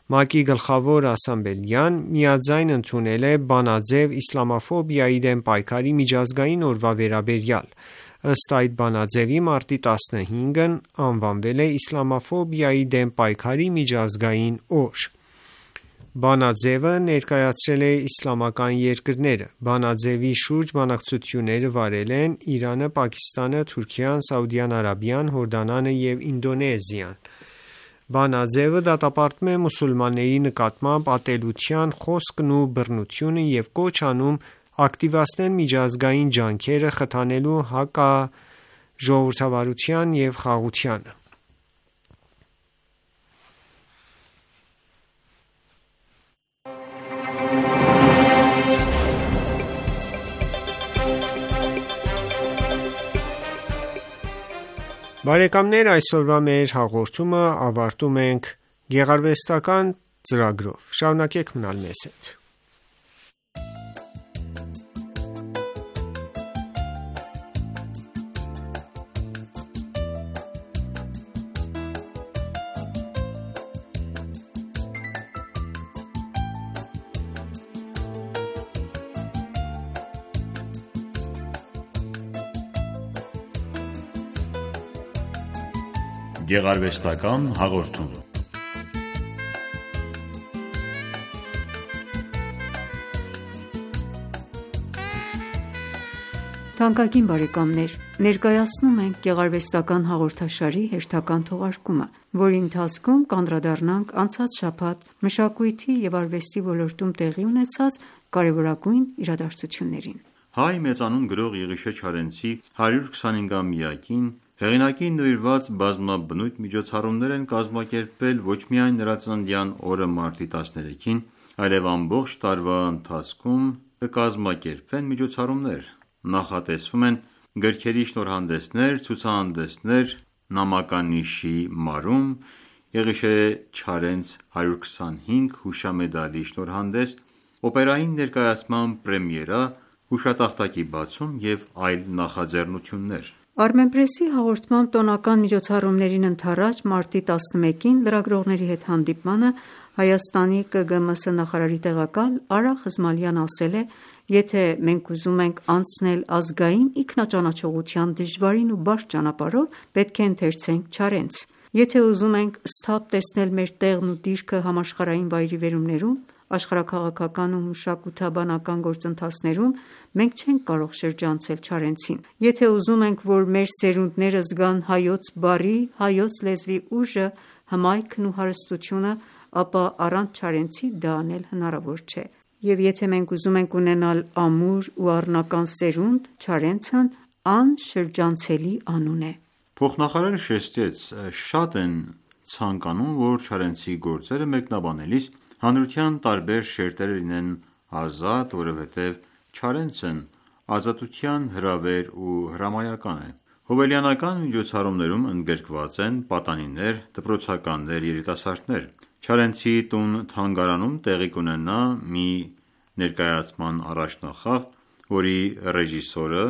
ՄԱԿ-ի գլխավոր ասամբլեան միաձայն ընդունել է բանաձև իսլամաֆոբիայի դեմ պայքարի միջազգային օրվա վերաբերյալ։ Ըստ այդ բանաձևի մարտի տասնհինգն անվանվել է իսլամաֆոբիայի դեմ պայքարի միջազգային օր։ Բանաձևը ներկայացրել է իսլամական երկրները։ Բանաձևի շուրջ բանակցությունները վարել են Իրանը, Պակիստանը, Թուրքիան, Սաուդյան Արաբիան, Հորդանանը և Ինդոնեզիան։ Բանաձևը դատապարտում է մուսուլմանների նկատմամբ ատելության խոսքն ու բռնությունը և կոչ անում ակտիվացնել միջազգային ջանքերը խթանելու հակաժողովրդավարության և խաղաղությանը։ Բարեկամներ, այսօրվա մեր հաղորդումը ավարտում ենք գեղարվեստական ծրագրով։ Շարունակեք մնալ մեզ հետ։ Գեղարվեստական հաղորդում։ Թանկագին բարեկամներ, ներկայացնում ենք գեղարվեստական հաղորդաշարի հերթական թողարկումը, որի ընթացքում կանդրադառնանք անցած շաբաթ մշակույթի և արվեստի ոլորտում տեղի ունեցած կարևորագույն իրադարձություններին։ Հայ մեծանուն գրող Եղիշե Չարենցի հարյուր քսանհինգամյակին հեղինակին նվիրված բազմաբնույթ միջոցառումներ են կազմակերպվել ոչ միայն նրա ծննդյան օրը մարտի տասներեքին, այլև ամբողջ տարվա ընթացքում կկազմակերպվեն միջոցառումներ։ Նախատեսվում են գրքերի շնորհանդեսներ, ցուցահանդեսներ, նամականիշի մարում, Եղիշե Չարենց հարյուր քսանհինգ հուշամեդալի շնորհանդես, օպերային ներկայացման պրեմիերա, հուշատախտակի բացում և այլ նախաձեռնություններ։ Armenpress-ի հաղորդմամբ տոնական միջոցառումներին ընդառաջ մարտի տասնմեկին լրագրողների հետ հանդիպմանը Հայաստանի Կը Գը Մը Սը նախարարի տեղակալ Արա Խզմալյանը ասել է. «Եթե մենք ուզում ենք անցնել ազգային ինքնաճանաչողության դժվարին ու բարդ ճանապարհով, պետք է ընթերցենք Չարենց։ Եթե ուզում ենք սթափ տեսնել մեր տեղն ու դիրքը համաշխարհային վայրիվերումներում, աշխարհաքաղաքական ու մշակութաբանական գործընթացներում, մենք չենք կարող շրջանցել Չարենցին։ Եթե ուզում ենք, որ մեր սերունդները զգան հայոց բառի, հայոց լեզվի ուժը, հմայքն ու հարստությունը, ապա առանց Չարենցի դա անել հնարավոր չէ։ Եվ եթե մենք ուզում ենք ունենալ ամուր ու առնական սերունդ, Չարենցն անշրջանցելի անուն է»։ Փոխնախարարը շեշտեց. «Շատ են ցանկանում, որ Չարենցի գործերը մեկնաբանելիս հանրության տարբեր շերտերը լինեն ազատ, որովհետև Չարենցն ազատության հրավեր ու հրամայական է»։ Հոբելյանական միջոցառումներում ընդգրկված են պատանիներ, դպրոցականներ, երիտասարդներ։ Չարենցի տուն-թանգարանում տեղի կունենա մի ներկայացման առաջնախաղ, որի ռեժիսորը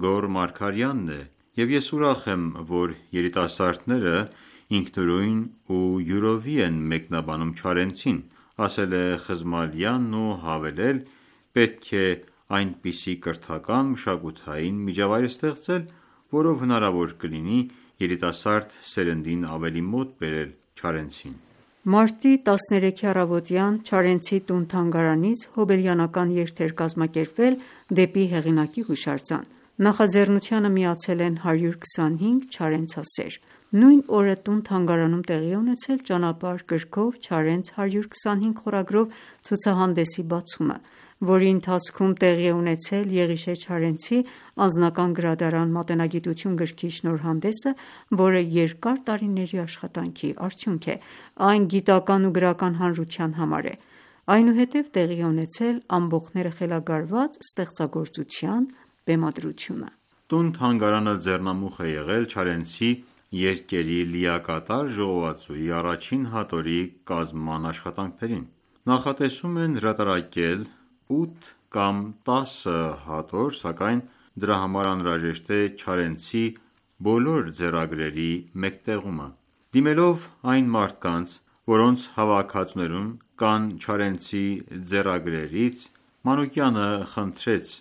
Գոռ Մարգարյանն է, և ես ուրախ եմ, որ երիտասարդները ինքնուրույն ու յուրովի են մեկնաբանում Չարենցին, ասել է Խզմալյանն ու հավելել. «Պետք է այնպիսի կրթական մշակութային միջավայր ստեղծել, որով հնարավոր կլինի երիտասարդ սերնդին ավելի մոտ բերել Չարենցին»։ Մարտի տասներեքի առավոտյան Չարենցի տուն-թանգարանից հոբելյանական երթ էր կազմակերպվել դեպի հեղինակի հուշարձան։ Նախաձեռնությանը միացել են հարյուր քսանհինգ չարենցասեր։ Նույն օրը տուն-թանգարանում տեղի է ունեցել «Ճանապարհ» գրքով Չարենց հարյուր քսանհինգ խորագրով ցուցահանդեսի բացումը, որի ընթացքում տեղի է ունեցել Եղիշե Չարենցի «Անձնական գրադարան մատենագիտություն» գրքի շնորհանդեսը, որը երկար տարիների աշխատանքի արդյունք է։ Այն գիտական ու գրական հանրության համար է։ Այնուհետև տեղի է ունեցել «Ամբոխները խելագարված» ստեղծագործության բեմադրությունը։ Տուն-թանգարանը ձեռնամուխ է եղել Չարենցի երկերի լիակատար ժողովածուի առաջին հատորի կազման աշխատանքներին։ Նախատեսում են հրատարակել ութ կամ տասը հատոր, սակայն դրա համար անհրաժեշտ է Չարենցի բոլոր ձեռագրերի մեկտեղումը։ Դիմելով այն մարդկանց, որոնց հավաքածուներում կան Չարենցի ձեռագրերից, Մանուկյանը խնդրեց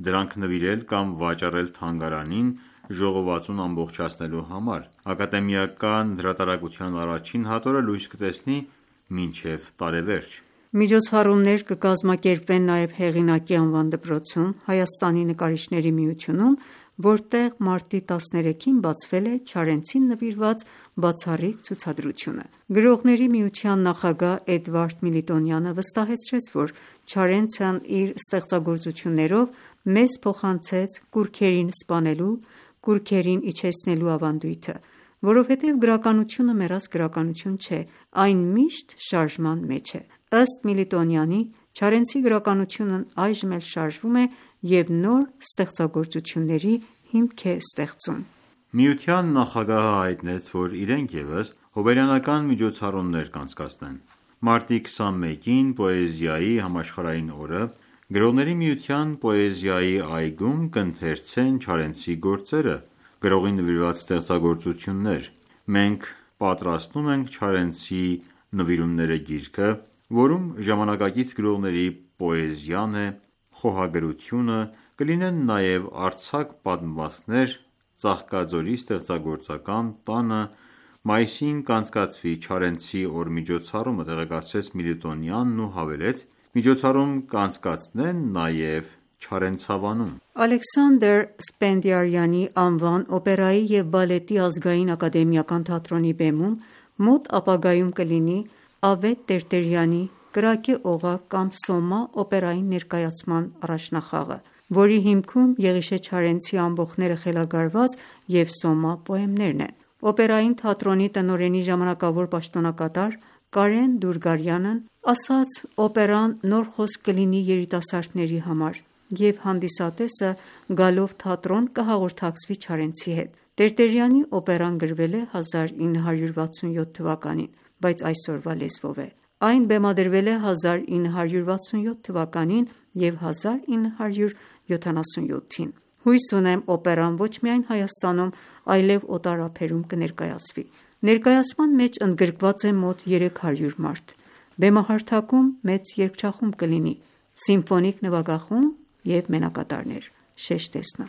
դրանք նվիրել կամ վաճառել թանգարանին ժողովածուն ամբողջացնելու համար։ Ակադեմիական հրատարակության առաջին հատորը լույս կտեսնի մինչև տարեվերջ։ Միջոցառումներ կկազմակերպվեն նաև Հեղինակի անվան դպրոցում, Հայաստանի նկարիչների միությունում, որտեղ մարտի տասներեքին բացվել է Չարենցին նվիրված բացառիկ ցուցադրությունը։ Գրողների միության նախագահ Էդվարդ Միլիտոնյանը վստահեցրեց, որ Չարենցն իր ստեղծագործություններով մեզ փոխանցեց կուռքերին սպանելու, կուռքերին իջեցնելու ավանդույթը, որովհետև գրականությունը մեռած գրականություն չէ, այն միշտ շարժման մեջ է։ Ըստ Միլիտոնյանի, Չարենցի գրականությունն այժմ էլ շարժվում է և նոր ստեղծագործությունների հիմք է ստեղծում։ Միության նախագահը հայտնեց, որ իրենք ևս հոբելյանական միջոցառումներ կանցկացնեն։ Մարտի քսանմեկին պոեզիայի համաշխարհային օրը Գրողների միության պոեզիայի այգում կընթերցեն Չարենցի գործերը, գրողին նվիրված ստեղծագործություններ։ Մենք պատրաստում ենք Չարենցի նվիրումները գիրքը, որում ժամանակակից գրողների պոեզիան է, խոհագրությունը, կլինեն նաև արձակ պատմվածքներ Ծաղկաձորի ստեղծագործական տանը, մայիսին կանցկացվի Չարենցի օր միջոցառումը, տեղեկացրեց Միլիտոնյանն ու հավելեց. Միջոցառում կանցկացնեն նաև Չարենցավանում։ Ալեքսանդր Սպենդիարյանի անվան օպերայի և բալետի ազգային ակադեմիական թատրոնի բեմում մոտ ապագայում կլինի Ավետ Տերտերյանի «Կրակե օղակ» կամ «Սոմա» օպերային ներկայացման առաջնախաղը, որի հիմքում Եղիշե Չարենցի «Ամբոխները խելագարված» և «Սոմա» պոեմներն են։ Օպերային թատրոնի տնօրենի ժամանակավոր պաշտոնակատար Կարեն Դուրգարյանն ասաց. «Օպերան նոր խոսք կլինի երիտասարդների համար, և հանդիսատեսը գալով թատրոն կհաղորդակցվի Չարենցի հետ։ Տերտերյանի օպերան գրվել է հազար ինը հարյուր վաթսունյոթ թվականին, բայց այսօրվա լեզվով է։ Այն բեմադրվել է հազար ինը հարյուր վաթսունյոթ թվականին և հազար ինը հարյուր յոթանասունյոթին։ Հույս ունեմ օպերան ոչ միայն Հայաստանում, այլև օտար ափերում կներկայացվի։ Ներկայացման մեջ ընդգրկված է մոտ երեք հարյուր մարդ։ Բեմահարթակում մեծ երգչախումբ կլինի, սիմֆոնիկ նվագախումբ և մենակատարներ», շեշտեց նա։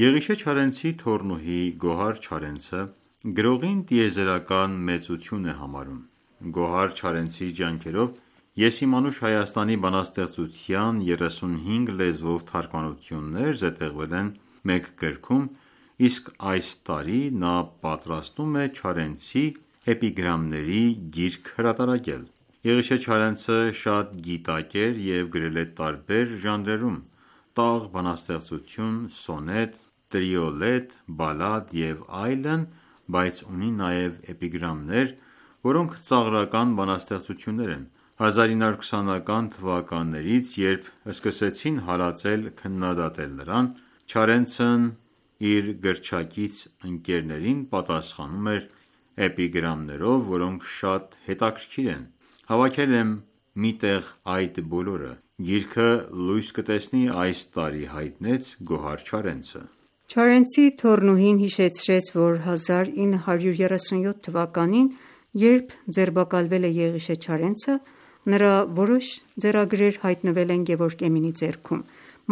Եղիշե Չարենցի թոռնուհի Գոհար Չարենցը գրողին տիեզերական մեծություն է համարում։ Գոհար Չարենցի ջանքերով Եսիմանուշ Հայաստանի բանաստեղծության երեսունհինգ լեզվով թարգմանություններ զետեղվել են մեկ գրքում, իսկ այս տարի նա պատրաստում է Չարենցի էպիգրամների գիրք հրատարակել։ Եղիշե Չարենցը շատ գիտակ էր և գրել է տարբեր ժանրերում՝ տաղ բանաստեղծություն, սոնետ, տրիոլետ, բալլադ և այլն, բայց ունի նաև էպիգրամներ, որոնք ծաղրական բանաստեղծություններ են։ հազար ինը հարյուր քսանական թվականներից, երբ սկսեցին հալածել քննադատել նրան, Չարենցն իր գրչակից ընկերներին պատասխանում էր էպիգրամներով, որոնք շատ հետաքրքիր են։ Հավաքել եմ մի տեղ այդ բոլորը։ Գիրքը լույս կտեսնի այս տարի, հայտնեց Գոհար Չարենցը։ Չարենցի թոռնուհին հիշեցրեց, որ հազար ինը հարյուր երեսունյոթ թվականին, երբ ձերբակալվել է Եղիշե Չարենցը, նրա որոշ ձեռագրեր հայտնվել են Գևորգ Էմինի ձեռքում,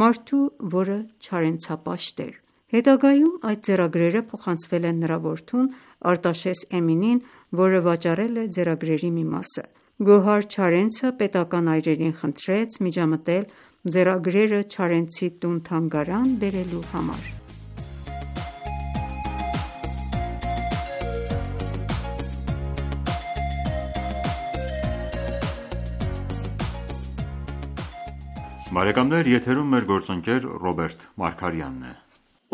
մարդու, որը չարենցապաշտ էր։ Հետագայում այդ ձեռագրերը փոխանցվել են նրա որդուն Արտաշես Էմինին, որը վաճառել է ձեռագրերի մի մասը։ Գոհար Չարենցը պետական այրերին խնդրեց միջամտել ձեռագրերը Չարենցի տուն-թանգարան բերելու համար։ Բարեկամներ, եթերում մեր գործընկեր Ռոբերտ Մարգարյանն է։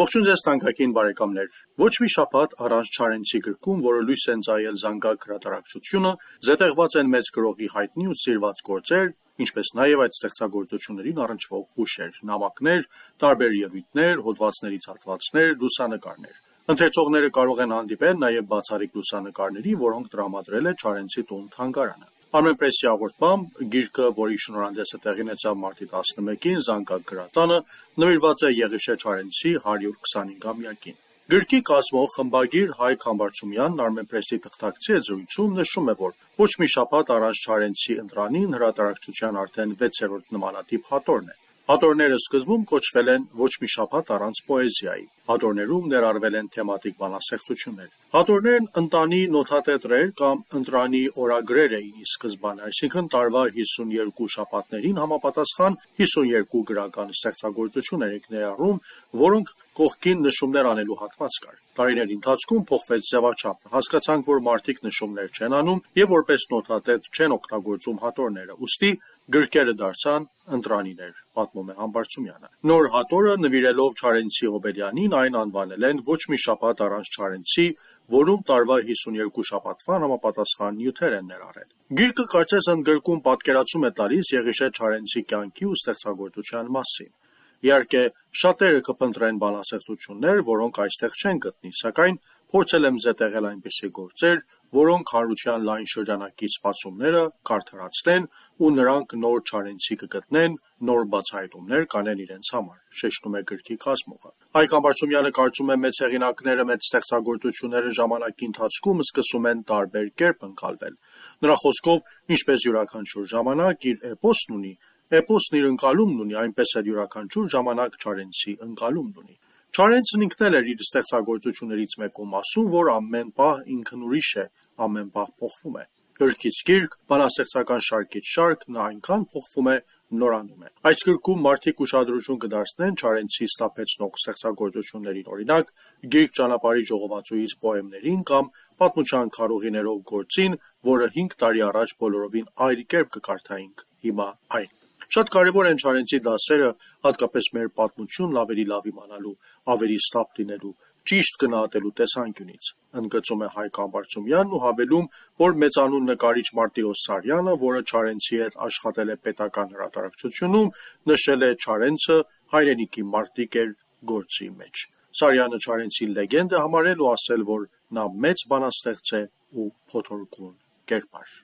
Ողջույն ձեզ թանկագին բարեկամներ։ Ոչ մի շաբաթ առանց Չարենցի գրքում, որը լույս են ծայել զանգակ հրատարակչությունը, զետեղված են մեծ գրողի հայտնի ու սիրված գործեր, ինչպես նաև այդ ստեղծագործություններին առնչվող հուշեր, նամակներ, տարբեր ելույթներ, հոդվածներից հատվածներ, լուսանկարներ։ Ընթերցողները կարող են հանդիպել նաև բացառիկ լուսանկարների, որոնք տրամադրել է Չարենցի տուն թանգարանը։ Armenpress-ի հաղորդմամբ գիրքը, որի շնորհանդեսը տեղի ունեցավ մարտի տասնմեկին զանգակ գրատանը, նվիրված է Եղիշե Չարենցի հարյուր քսանհինգամյակին։ Գրքի կազմող խմբագիր Հայկ Համբարձումյանն Armenpress-ի թղթակցի զրույցում նշում է, որ ոչ մի շաբաթ առանց Չարենցի ընտրանին հրատարակչության արդեն վեցերորդ նմանատիպ հատորն է։ Հատորները սկզբում կոչվել են ոչ մի շաբաթ առանց պոեզիայի։ Հատորներում ներառվել են թեմատիկ բանաստեղծություններ։ Հատորներն ընտանի նոթատետրեր կամ ընտրանի օրագրեր էին ի սկզբանե, այսինքն տարվա հիսունյոթ շաբաթներին համապատասխան հիսունյոթ գրական ստեղծագործություններ եք ներառում, որոնք կողքին նշումներ անելու հատված կար։ Տարիների ընթացքում փոխվեց ձևաչափը։ Հասկացանք, որ մարդիկ նշումներ չեն անում եւ որպես նոթատետ չեն օգտագործում հատորները, ուստի գրքերը դարձան ընտրանիներ, պատմում է Համբարձումյանը։ Նոր հատորը նվիրելով Չարենցի Հոբելյանին այն անվանել են ոչ մի շաբաթ առանց Չարենցի, որում տարվա հիսունյոթ շաբաթվան համապատասխան նյութեր են ներառել։ Գիրքը կարծես ընդգրկում պատկերացում է տալիս Եղիշե Չարենցի կյանքի ու ստեղծագործության մասին։ Իհարկե, շատերը կփնտրեն բանաստեղծություններ, որոնք այստեղ չեն գտնի, սակայն փորձել եմ զետեղել այնպիսի գործեր, որոնք հանրության լայն շրջանակի սպասումները կարդարացնեն ու նրանք նոր Չարենցի կգտնեն, նոր բացահայտումներ կանեն իրենց համար, շեշտում է գրքի կազմողը։ Հայկ Համբարձումյանը կարծում է, մեծ հեղինակները մեծ ստեղծագործությունները ժամանակի ընթացքում սկսում են տարբեր կերպ ընկալվել։ Նրա խոսքով, ինչպես յուրաքանչյուր ժամանակ իր էպոսն ունի, էպոսն իր ընկալումն ունի, այնպես էլ յուրաքանչյուր ժամանակ Չարենցի ընկալումն ունի։ Չարենցն ինքն էլ էր իր ստեղծագործություններից մեկում ասում, որ ամեն պահ ինքն ուրիշ է, ամեն պահ փոխվում է։ Գրքից գիրք, բանաստեղծական շարքից շարք նա այնքան փոխվում է, նորանում է։ Այս գրքում մարդիկ ուշադրություն կդարձնեն Չարենցի ստապեցնող ստեղծագործություններին, օրինակ Գիրք ճանապարհի ժողովածուից պոեմներին կամ Պատմության քարոզիներով գործին, որը հինգ տարի առաջ բոլորովին այլ կերպ կկարդայինք հիմա այն։ Շատ կարևոր են Չարենցի դասերը, հատկապես մեր պատմությունն ավելի լավ իմանալու, ավելի ստապ լինելու, ճիշտ գնահատելու տեսանկյունից, ընդգծում է Հայկ Համբարձումյանն ու հավելում, որ մեծանուն նկարիչ Մարտիրոս Սարյանը, որը Չարենցի հետ աշխատել է պետական հրատարակչությունում, նշել է Չարենցը հայրենիքի մարտիկ էր գործի մեջ։ Սարյանը Չարենցի լեգենդ է համարել ու ասել, որ նա մեծ բանաստեղծ է ու փոթորկուն կերպար։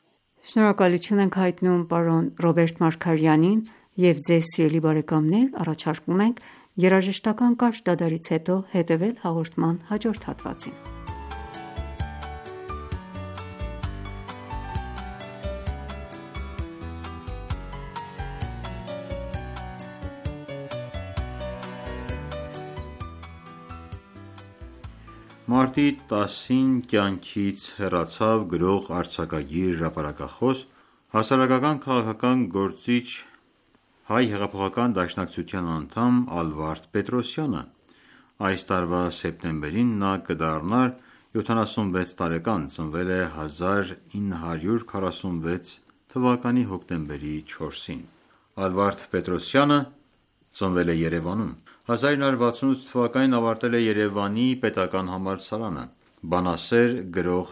Շնորհակալություն ենք հայտնում պարոն Ռոբերտ Մարգարյանին եւ ձեզ սիրելի բարեկամներ առաջարկում ենք երաժշտական կարճ դադարից հետո հետևել հաղորդման հաջորդ հատվածին։ Մարտի տասին կյանքից հեռացավ գրող, արձակագիր, հրապարակախոս, հասարակական քաղաքական գործիչ, հայ հեղափոխական դաշնակցության անդամ Ալվարդ Պետրոսյանը։ Այս տարվա սեպտեմբերին նա կդառնար յոթանասունվեց տարեկան, ծնվել է հազար ինը հարյուր քառասունվեց թվականի հոկտեմբերի չորսին։ Ալվարդ Պետրոսյանը ծնվել է Երևանում։ հազար ինը հարյուր վաթսունութ թվականին ավարտել է Երևանի պետական համալսարանը, բանասեր, գրող,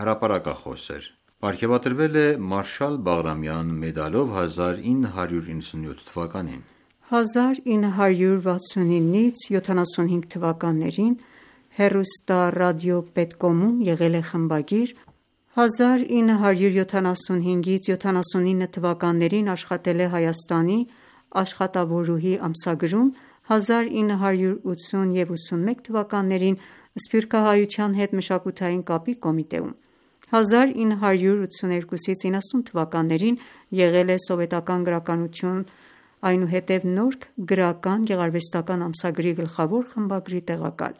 հրապարակախոս էր։ Պարգևատրվել է Մարշալ Բաղրամյան մեդալով հազար ինը հարյուր իննսունյոթ թվականին։ հազար ինը հարյուր վաթսունինից յոթանասունհինգ թվականներին հեռուստառադիոպետկոմում եղել է խմբագիր, հազար ինը հարյուր յոթանասունհինգից յոթանասունինը թվականներին աշխատել է Հայաստանի աշխատավորուհի ամսագրում, հազար ինը հարյուր ութսուն և ութսունմեկ թվականներին Սփյուռքահայության հետ մշակութային կապի կոմիտեում, հազար ինը հարյուր ութսուներկուսից իննասուն թվականներին եղել է Սովետական գրականություն, այնուհետև Նորք գրական գեղարվեստական ամսագրի գլխավոր խմբագրի տեղակալ,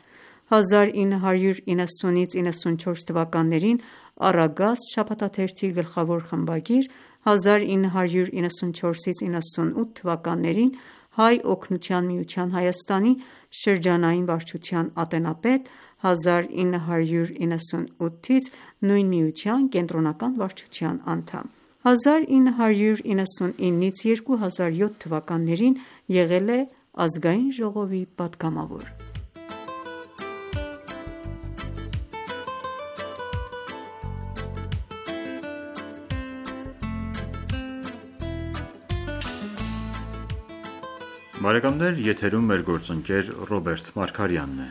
հազար ինը հարյուր իննսունից իննսունչորս թվականներին Առագաստ շաբաթաթերթի գլխավոր խմբագիր, հազար ինը հարյուր իննսունչորսից իննսունութ թվականներին Հայ օգնության միության Հայաստանի շրջանային վարչության ատենապետ, հազար ինը հարյուր իննսունութից նույն միության կենտրոնական վարչության անդամ, հազար ինը հարյուր իննսունինից երկու հազար յոթ թվականներին եղել է Ազգային ժողովի պատգամավոր։ Բարեկամներ, եթերում մեր գործընկեր Ռոբերտ Մարգարյանն է։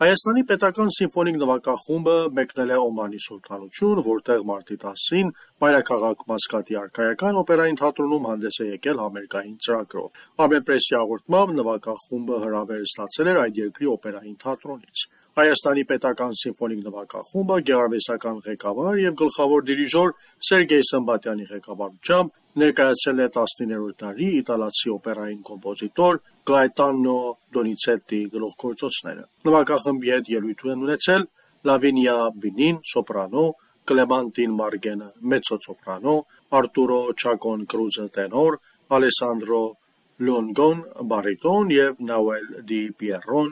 Հայաստանի պետական սիմֆոնիկ նվագախումբը մեկնել է Օմանի Սուլթանություն, որտեղ մարտի տասին մայրաքաղաք Մասկատի արքայական օպերային թատրոնում հանդես է եկել համերգային ծրագրով։ Armenpress-ի հաղորդմամբ նվագախումբը հրավեր ստացել էր այդ երկրի օպերային թատրոնից։ Հայաստանի պետական սիմֆոնիկ նվագախումբը գեղարվեստական ղեկավար եւ գլխավոր դիրիժոր Սերգեյ Սմբատյանի ղեկավարությամբ ներկայացել է տասնիններորդ դարի իտալացի օպերային կոմպոզիտոր Gaetano Donizetti գլուխգործոցները։ Նվագախմբի հետ ելույթ են ունեցել Լավինիա Բինին սոպրանո, Կլեմանտին Մարգենը մեծո-սոպրանո, Արտուրո Չակոն Կրուզը տենոր, Ալեսանդրո Լոնգոն բարիտոն եւ Նաուել Դի Պիերոն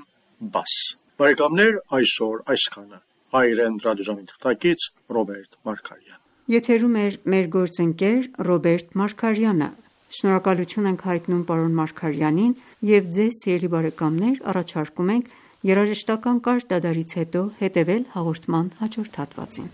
բաս։ Բարեկամներ, այսօր այսքանը։ Հայրեն ռադիոժամի թղթակից Ռոբերտ Մարգարյան։ Եթերում էր մեր գործընկեր Ռոբերտ Մարգարյանը։ Շնորհակալություն ենք հայտնում պարոն Մարգարյանին եւ ձեզ սիրելի բարեկամներ առաջարկում ենք երաժշտական կարճ դադարից հետո հետեւել հաղորդման հաջորդ հատվածին։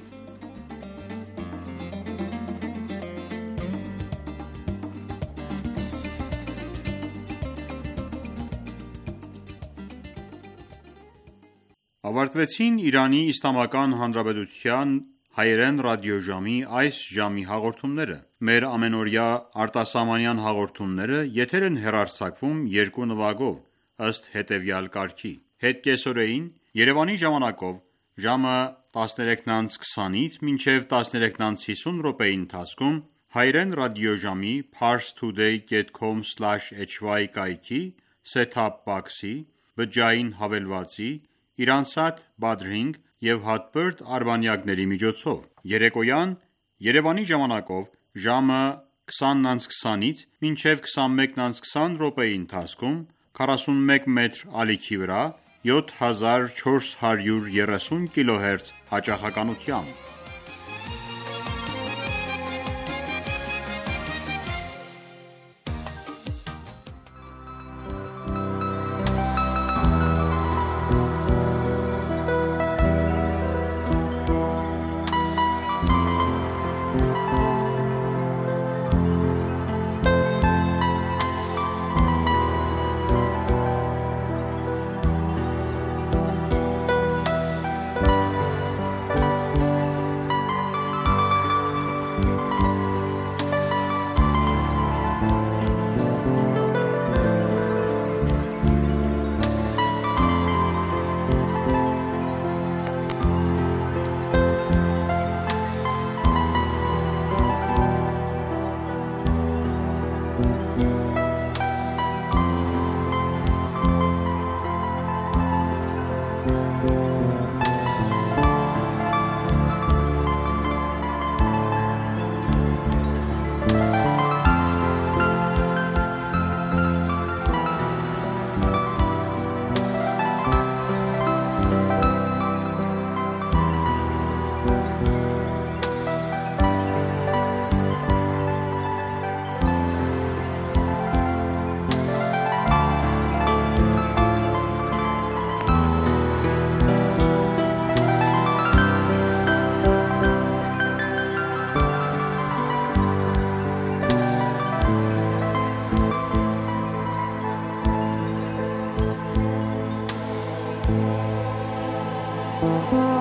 Ավարտվեցին Իրանի Իսլամական Հանրապետության հայերեն ռադիոժամի այս ժամի հաղորդումները։ Մեր ամենօրյա արտասահմանյան հաղորդումները եթեր են հեռարձակվում երկու նվագով, ըստ հետևյալ կարգի. Հետ կեսօրեին Երևանի ժամանակով ժամը տասներեքն քսանից մինչև տասներեքն հիսուն րոպեի ընթացքում հայերեն ռադիոժամի parstoday dot com slash h y կայքի set-top box-ի, բջջային հավելվածի, Իրանսատ Badring և Hotbird արբանյակների միջոցով։ Երեկոյան Երևանի ժամանակով ժամը քսանն քսանից մինչև քսանմեկն քսան րոպեի ընթացքում քառասունմեկ մետր ալիքի վրա յոթ հազար չորս հարյուր երեսուն կիլոհերց հաճախականությամբ։ Bye.